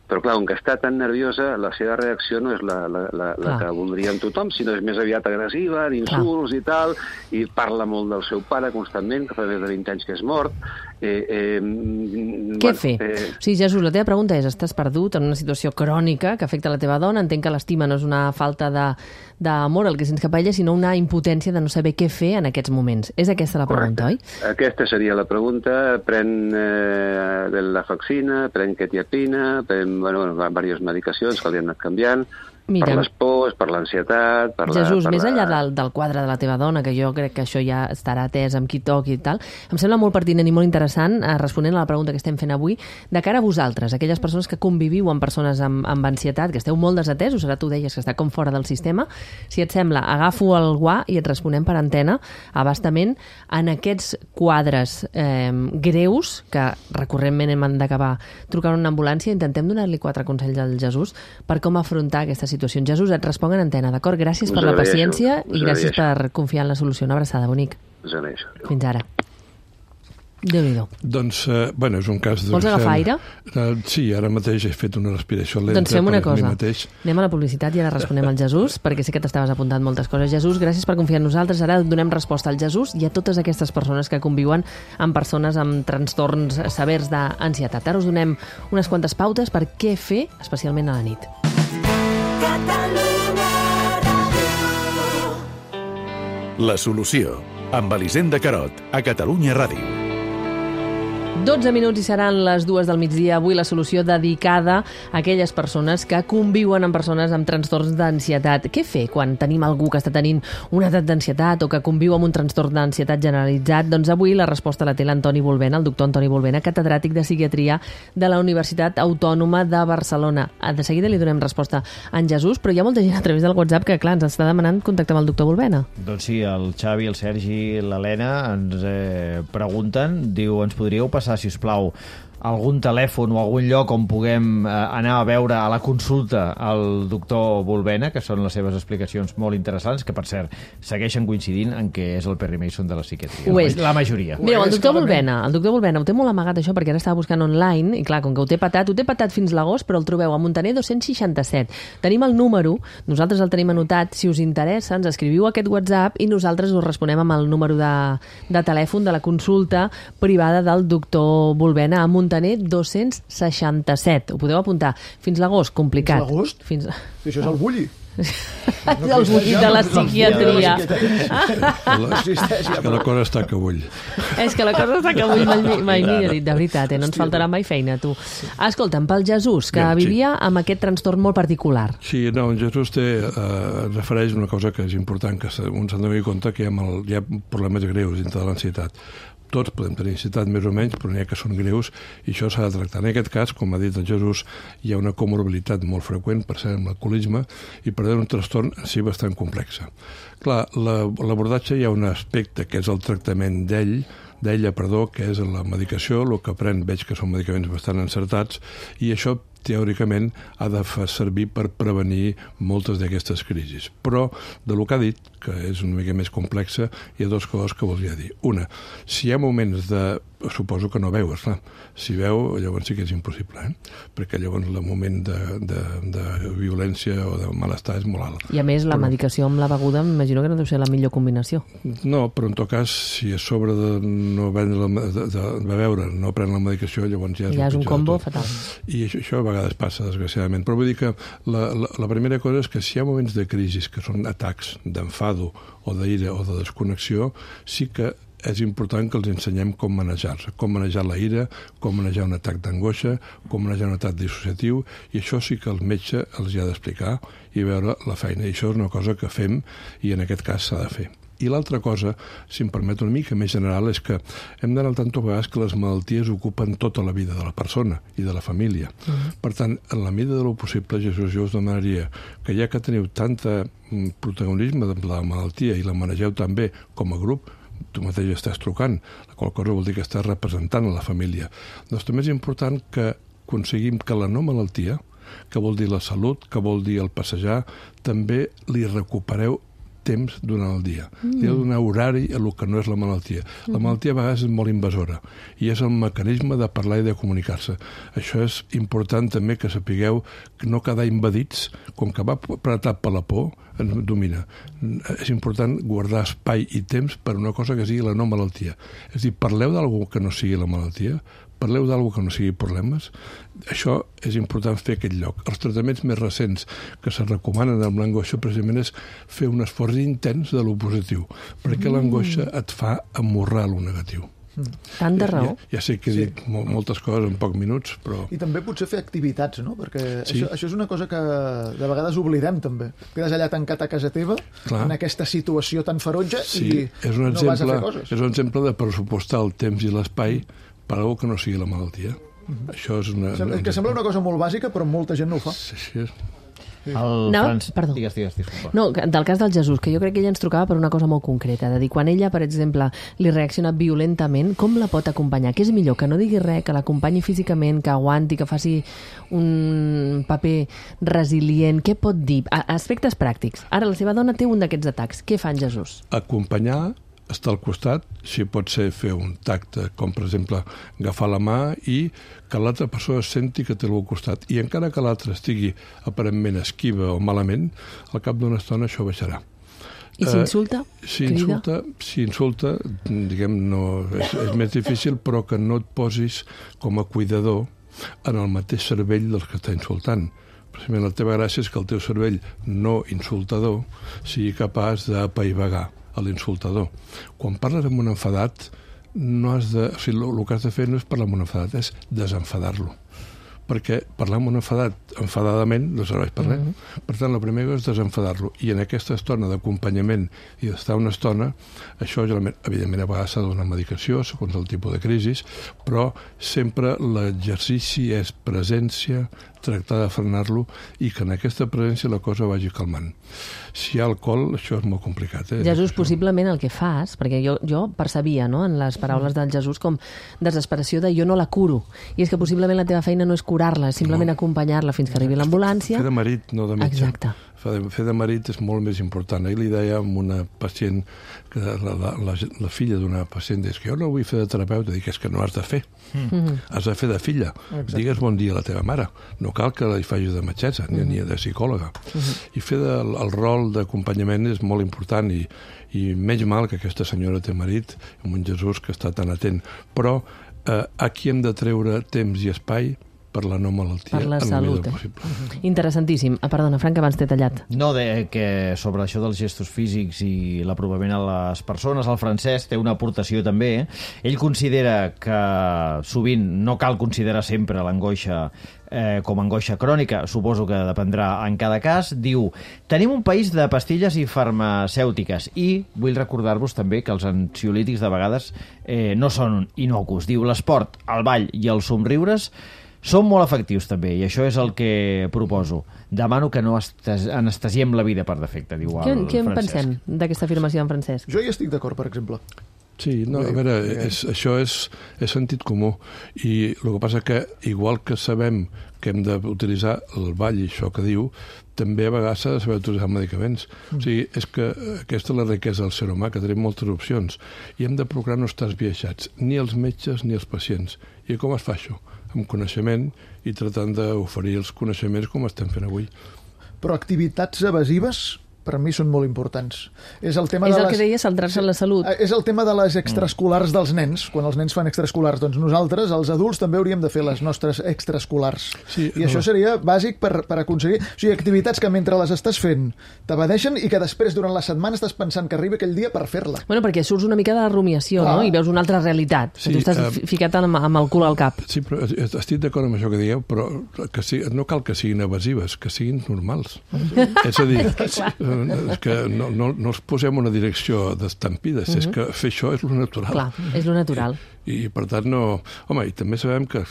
Speaker 13: però clar, com que està tan nerviosa, la seva reacció no és la que voldríem tothom, sinó és més aviat agressiva, d'insults i tal, i parla molt del seu pare constantment, que fa més de 20 anys que és mort.
Speaker 1: Què fer? O sigui, Jesús, la teva pregunta és: estàs perdut en una situació crònica que afecta la teva dona, entenc que l'estima no és una falta d'amor el que sents cap a ella, sinó una impotència de no saber què fer en aquests moments. És aquesta la pregunta, oi?
Speaker 13: Aquesta seria la pregunta. Pren la faxina, pren quetiapina, pren diverses medicacions que li han anat canviant, per les pors, per l'ansietat...
Speaker 1: Jesús, més enllà del quadre de la teva dona, que jo crec que això ja estarà atès amb qui toqui i tal, em sembla molt pertinent i molt interessant, responent a la pregunta que estem fent avui, de cara a vosaltres, aquelles persones que conviviu amb persones amb ansietat, que esteu molt desatesos, ara tu deies que està com fora del sistema. Si et sembla, agafo el guà i et responem per antena, abastament, en aquests quadres greus, que recurrentment hem d'acabar trucant una ambulància, intentem donar-li 4 consells al Jesús per com afrontar aquesta situació. Jesús, et responc en antena, d'acord? Gràcies per la paciència i gràcies per confiar en la solució. Una abraçada, bonic. Fins ara. Déu-n'hi-do.
Speaker 11: Doncs, bueno, és un cas...
Speaker 1: Vols agafar aire?
Speaker 11: Sí, ara mateix he fet una respiració lenta.
Speaker 1: Doncs fem una cosa. Anem a la publicitat i ara responem al Jesús, perquè sé que t'estaves apuntant moltes coses. Jesús, gràcies per confiar en nosaltres. Ara donem resposta al Jesús i a totes aquestes persones que conviuen amb persones amb trastorns severs d'ansietat. Ara us donem unes quantes pautes per què fer, especialment a la nit.
Speaker 14: La solució, amb Elisenda Carot, a Catalunya Ràdio.
Speaker 1: 12 minuts i seran les 2 del migdia. Avui la solució dedicada a aquelles persones que conviuen amb persones amb trastorns d'ansietat. Què fer quan tenim algú que està tenint un atac d'ansietat o que conviu amb un trastorn d'ansietat generalitzat? Doncs avui la resposta la té l'Antoni Bolbena, el doctor Antoni Bolbena, catedràtic de psiquiatria de la Universitat Autònoma de Barcelona. De seguida li donem resposta a en Jesús, però hi ha molta gent a través del WhatsApp que, clar, ens està demanant contactar amb el doctor Bolbena.
Speaker 3: Doncs sí, el Xavi, el Sergi i l'Helena ens pregunten, diu, ens podríeu passar, si us plau, algun telèfon o algun lloc on puguem anar a veure a la consulta al doctor Bolbena, que són les seves explicacions molt interessants, que per cert segueixen coincidint en què és el Perry Mason de la psiquiatria. La majoria.
Speaker 1: Mireu, el doctor Bolbena ho té molt amagat això, perquè ara estava buscant online i clar, com que ho té patat fins l'agost, però el trobeu a Muntaner 267. Tenim el número, nosaltres el tenim anotat, si us interessa ens escriviu aquest WhatsApp i nosaltres us responem amb el número de telèfon de la consulta privada del doctor Bolbena a Muntaner 267. Ho podeu apuntar. Fins l'agost, complicat.
Speaker 4: Fins l'agost? Això és el bulli.
Speaker 1: El bulli de la psiquiatria.
Speaker 11: És que la cosa està que bull.
Speaker 1: És que la cosa està que bull, mai millor dit, de veritat, no ens faltarà mai feina, tu. Escolta'm, pel Jesús, que vivia amb aquest trastorn molt particular.
Speaker 11: Sí, no, en Jesús refereix una cosa que és important, que un s'ha de tenir en compte, que hi ha problemes greus dintre de l'ansietat. Tots podem tenir ansietat més o menys, però n'hi ha que són greus i això s'ha de tractar. En aquest cas, com ha dit el Jesús, hi ha una comorbilitat molt freqüent, per ser amb l'alcoholisme, i per tant un trastorn en si bastant complex. Clar, l'abordatge hi ha un aspecte que és el tractament d'ella, que és la medicació, el que pren veig que són medicaments bastant encertats, i això teòricament ha de fer servir per prevenir moltes d'aquestes crisis. Però, del que ha dit, que és una mica més complexa, hi ha dues coses que volia dir. Una, si hi ha moments de... Suposo que no veus, clar. Si veu, llavors sí que és impossible, perquè llavors el moment de violència o de malestar és molt alt.
Speaker 1: I a més, la medicació amb la beguda m'imagino que no deu ser la millor combinació.
Speaker 11: No, però en tot cas, si és sobre de no beure, no prendre la medicació, llavors ja és
Speaker 1: un combo fatal.
Speaker 11: I això a vegades passa, desgraciadament. Però vull dir que la primera cosa és que si hi ha moments de crisi, que són atacs d'enfado o d'ira o de desconnexió, sí que és important que els ensenyem com manejar-se, com manejar la ira, com manejar un atac d'angoixa, com manejar un atac dissociatiu, i això sí que el metge els hi ha d'explicar i veure la feina. I això és una cosa que fem i en aquest cas s'ha de fer. I l'altra cosa, si em permet una mica més general, és que hem d'anar al tanto a vegades que les malalties ocupen tota la vida de la persona i de la família. Per tant, en la mida de lo possible, Jesús, jo us demanaria que ja que teniu tant protagonisme de la malaltia i la manegeu tan bé com a grup, tu mateix estàs trucant, la qual cosa vol dir que estàs representant a la família. Doncs també és important que aconseguim que la no malaltia, que vol dir la salut, que vol dir el passejar, també li recupereu temps durant el dia. Li ha de donar horari a el que no és la malaltia. La malaltia a vegades és molt invasora i és el mecanisme de parlar i de comunicar-se. Això és important també que sapigueu que no quedar invadits, com que va apretat per la por, ens domina. És important guardar espai i temps per una cosa que sigui la no malaltia. És a dir, parleu d'algú que no sigui la malaltia, parleu d'algú que no sigui problemes. Això és important fer aquest lloc. Els tractaments més recents que se recomanen amb l'angoixa precisament és fer un esforç intens de lo positiu, perquè l'angoixa et fa amorrar lo negatiu.
Speaker 1: Tant de raó.
Speaker 11: Ja sé que he dit moltes coses en pocs minuts, però...
Speaker 4: I també potser fer activitats, no? Perquè això és una cosa que de vegades oblidem, també. Quedes allà tancat a casa teva, en aquesta situació tan ferotge, i no vas a fer coses.
Speaker 11: És un exemple de pressupostar el temps i l'espai per algo que no sigui la malaltia. Això és una...
Speaker 4: Que sembla una cosa molt bàsica, però molta gent no ho fa.
Speaker 11: Sí.
Speaker 1: Perdó.
Speaker 3: Digues, disculpa.
Speaker 1: No, del cas del Jesús, que jo crec que ella ens trucava per una cosa molt concreta, de dir, quan ella, per exemple, li reacciona violentament, com la pot acompanyar? Què és millor? Que no digui res, que l'acompanyi físicament, que aguanti, que faci un paper resilient? Què pot dir? Aspectes pràctics. Ara, la seva dona té un d'aquests atacs. Què fa en Jesús?
Speaker 11: Acompanyar, estar al costat, si pot ser fer un tacte, com per exemple agafar la mà i que l'altra persona senti que té al costat. I encara que l'altre estigui aparentment esquiva o malament, al cap d'una estona això baixarà.
Speaker 1: I si insulta?
Speaker 11: Si insulta, diguem, no, és més difícil, però que no et posis com a cuidador en el mateix cervell dels que està insultant. Precisament la teva gràcia és que el teu cervell no insultador sigui capaç d'apaivagar a l'insultador. Quan parles amb un enfadat, el que has de fer no és parlar amb un enfadat, és desenfadar-lo. Perquè parlar amb un enfadat enfadadament no serveix per res. Per tant, el primer és desenfadar-lo. I en aquesta estona d'acompanyament i d'estar una estona, això, evidentment, a vegades s'ha de donar medicació, segons el tipus de crisi, però sempre l'exercici és presència, tractar de frenar-lo i que en aquesta presència la cosa vagi calmant. Si hi ha alcohol, això és molt complicat.
Speaker 1: Jesús, possiblement el que fas, perquè jo percebia, no, en les paraules del Jesús com desesperació de jo no la curo. I és que possiblement la teva feina no és curar-la, simplement acompanyar-la fins que arribi l'ambulància.
Speaker 11: Fer de marit, no de metge.
Speaker 1: Exacte.
Speaker 11: Fer de marit és molt més important. Ahir li deia a una pacient, que la filla d'una pacient, és que jo no vull fer de terapeuta, dic, és que no has de fer. Has de fer de filla. Digues bon dia a la teva mare. No cal que li facis de metgessa ni de psicòloga. I fer el rol d'acompanyament és molt important i menys mal que aquesta senyora té marit, amb un Jesús que està tan atent. Però aquí hem de treure temps i espai per la no malaltia.
Speaker 1: Per la salut. Interessantíssim. Perdona, Frank, abans t'he tallat.
Speaker 3: No, que sobre això dels gestos físics i l'apropament a les persones, el Francesc té una aportació també. Ell considera que sovint no cal considerar sempre l'angoixa com a angoixa crònica, suposo que dependrà en cada cas. Diu, tenim un país de pastilles i farmacèutiques i vull recordar-vos també que els ansiolítics de vegades no són innocus. Diu, l'esport, el ball i els somriures són molt efectius també, i això és el que proposo. Demano que no anestesiem la vida per defecte, diu el Francesc.
Speaker 1: Què en pensem d'aquesta afirmació en Francesc?
Speaker 4: Jo hi estic d'acord, per exemple.
Speaker 11: Sí, no, a veure, això és sentit comú. I el que passa que, igual que sabem que hem d'utilitzar el ball i això que diu, també a vegades s'ha de saber utilitzar medicaments. O sigui, és que aquesta és la riquesa del ser humà, que tenim moltes opcions. I hem de procurar no estar esbiaixats, ni els metges ni els pacients. I com es fa això? Amb coneixement i tratant d'oferir els coneixements com estem fent avui.
Speaker 4: Però activitats evasives per mi són molt importants. És el tema
Speaker 1: que deia, centrar-se en la salut.
Speaker 4: És el tema de les extraescolars dels nens. Quan els nens fan extraescolars, doncs nosaltres, els adults, també hauríem de fer les nostres extraescolars.
Speaker 11: Sí,
Speaker 4: I això seria bàsic per aconseguir... O sigui, activitats que mentre les estàs fent t'abadeixen i que després, durant la setmana, estàs pensant que arriba aquell dia per fer-la.
Speaker 1: Bueno, perquè surts una mica de la rumiació, no? I veus una altra realitat. Sí, tu estàs ficat amb el cul al cap.
Speaker 11: Sí, però estic d'acord amb això que dieu, però no cal que siguin evasives, que siguin normals. És a dir, que no els posem una direcció d'estampides, és que fer això és lo natural.
Speaker 1: Clar, és lo natural.
Speaker 11: I per tant no... Home, i també sabem que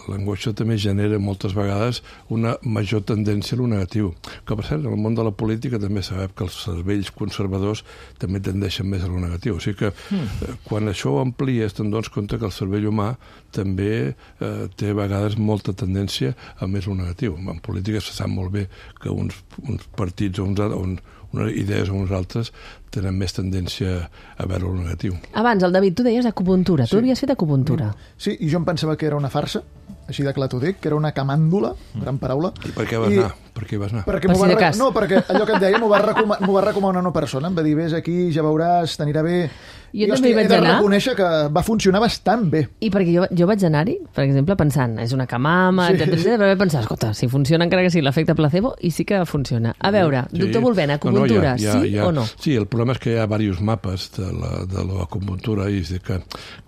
Speaker 11: l'angoixa també genera moltes vegades una major tendència a lo negatiu. Que per cert, en el món de la política també sabem que els cervells conservadors també tendeixen més a lo negatiu. O sigui que quan això ho amplies te'n dones compte que el cervell humà també té a vegades molta tendència a més lo negatiu. En política se sap molt bé que uns partits o unes idees o uns altres tenen més tendència a veure el negatiu.
Speaker 1: Abans, el David, tu deies acupuntura. Tu havies fet acupuntura.
Speaker 4: Sí, i jo em pensava que era una farsa, així de clar t'ho dic, que era una camàndula, gran paraula.
Speaker 11: I per què vas anar? Per què vas anar?
Speaker 4: Perquè no, perquè allò que et deia m'ho va recomanar una persona. Em va dir, vés aquí, ja veuràs, t'anirà bé.
Speaker 1: Jo també hi vaig anar.
Speaker 4: He de reconèixer que va funcionar bastant bé.
Speaker 1: I perquè jo vaig anar-hi, per exemple, pensant, és una camama, etcètera, però vaig pensar, escolta, si funciona encara que sigui l'efecte placebo, i sí que funciona. A veure, doctor Volvena, acupuntura, sí o no?
Speaker 11: Sí, el problema és que hi ha diversos mapes de l'acupuntura i que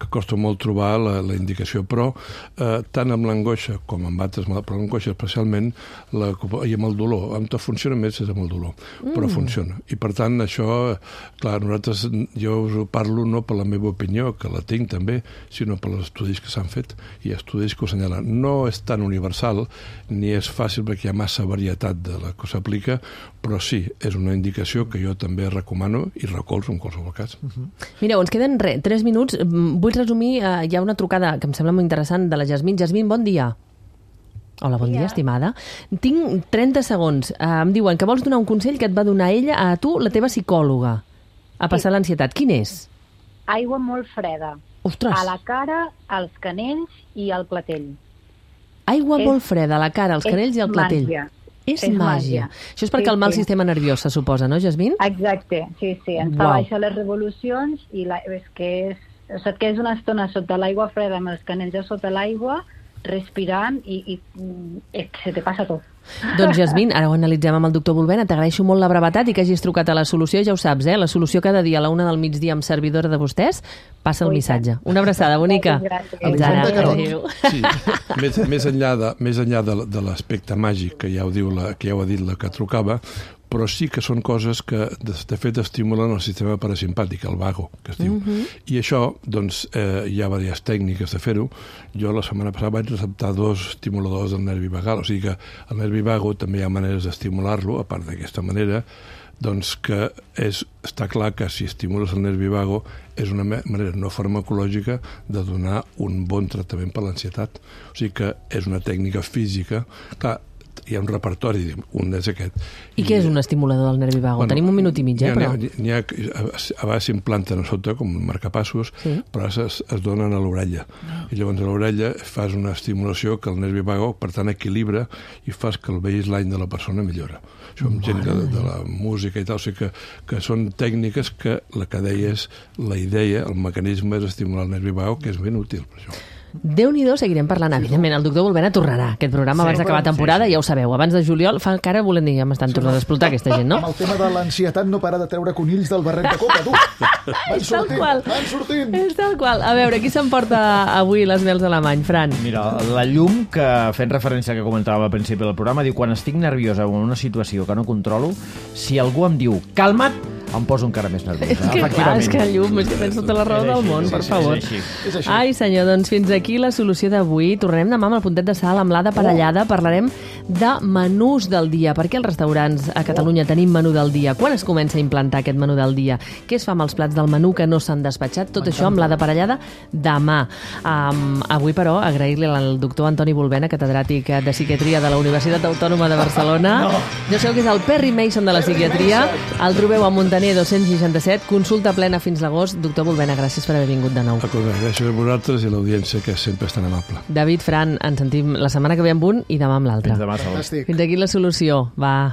Speaker 11: costa molt trobar la indicació, però tant amb l'angoixa com amb altres, però l'angoixa especialment, i amb el dolor, amb tot funciona més és amb el dolor, però funciona. I per tant, això, clar, nosaltres, jo us parlo no per la meva opinió, que la tinc també, sinó per els estudis que s'han fet i estudis que ho assenyalen. No és tan universal ni és fàcil perquè hi ha massa varietat de la que s'aplica, però sí, és una indicació que jo també recomano i recolzo en qualsevol cas.
Speaker 1: Mireu, ens queden 3 minuts. Vull resumir, hi ha una trucada que em sembla molt interessant de la Jasmine. Jasmine, bon dia. Hola, bon dia, estimada. Tinc 30 segons. Em diuen que vols donar un consell que et va donar ella a tu, la teva psicòloga, a passar l'ansietat. Quin és?
Speaker 15: Aigua molt freda.
Speaker 1: Ostres!
Speaker 15: A la cara, als canells i al clatell.
Speaker 1: Aigua molt freda a la cara, als canells i al clatell. És màgia. Això és per calmar el sistema nerviós, se suposa, no, Jasmine?
Speaker 15: Exacte, sí. Ens fa baixar les revolucions i és que és una estona sota l'aigua freda amb els canells a sota l'aigua, respirant i se te passa tot.
Speaker 1: Doncs, Jasmine, ara ho analitzem amb el doctor Volvena. T'agraeixo molt la brevetat i que hagis trucat a La Solució. Ja ho saps, La Solució cada dia a la 1 del migdia amb servidora de vostès. Passa el missatge. Una abraçada bonica.
Speaker 11: Fins ara. Adéu. Sí, més enllà de l'aspecte màgic que ja ho ha dit la que trucava, però sí que són coses que, de fet, estimulen el sistema parasimpàtic, el vago, que es diu. I això, doncs, hi ha diverses tècniques de fer-ho. Jo la setmana passada vaig receptar 2 estimuladors del nervi vagal, o sigui que el nervi vago també hi ha maneres d'estimular-lo, a part d'aquesta manera, doncs que està clar que si estimules el nervi vago és una manera no farmacològica de donar un bon tractament per l'ansietat. O sigui que és una tècnica física. Clar, hi ha un repertori, un és aquest.
Speaker 1: I què és un estimulador del nervi vago? Tenim un minut i mig, però...
Speaker 11: A vegades s'implanten a sota com marcapassos, però es donen a l'orella. I llavors a l'orella fas una estimulació que el nervi vago, per tant, equilibra i fas que el baseline de la persona millora. Això amb gent de la música i tal, o sigui que són tècniques que la que deies, la idea, el mecanisme és estimular el nervi vago, que és ben útil per això.
Speaker 1: Déu-n'hi-do, seguirem parlant. Evidentment, el doctor Volvena tornarà aquest programa abans d'acabar temporada, ja ho sabeu. Abans de juliol, fa encara volem dir, ja m'estan tornant a explotar aquesta gent, no?
Speaker 4: Amb el tema de l'ansietat no para de treure conills del barret de coca, tu! Van sortint!
Speaker 1: És tal qual. A veure, qui s'emporta avui les mels alemany, Fran?
Speaker 3: Mira, la llum, que fent referència que comentàvem al principi del programa, diu, quan estic nerviosa en una situació que no controlo, si algú em diu, calma't, em poso encara més nerviosa.
Speaker 1: És que clar, és que llum, és que tens tota la raó del món, per favor.
Speaker 3: És així.
Speaker 1: Ai, senyor, doncs fins aquí la solució d'avui. Tornarem demà amb el puntet de sal, amb l'Ada Parellada. Parlarem de menús del dia. Per què als restaurants a Catalunya tenim menú del dia? Quan es comença a implantar aquest menú del dia? Què es fa amb els plats del menú que no s'han despatxat? Tot això amb l'Ada Parellada demà. Avui, però, agrair-li al doctor Antoni Volvena, catedràtic de psiquiatria de la Universitat Autònoma de Barcelona. Ja sabeu que és el Perry Mason de la psiquiatria. El trobeu a Montaner 267, consulta plena fins l'agost. Doctor Volvena, gràcies per haver vingut de nou.
Speaker 11: Gràcies a vosaltres i a l'audiència, que sempre és tan amable.
Speaker 1: David, Fran, ens sentim la setmana que ve amb un i demà amb l'altre.
Speaker 3: Fins demà, Sol.
Speaker 1: Fins aquí la solució. Va.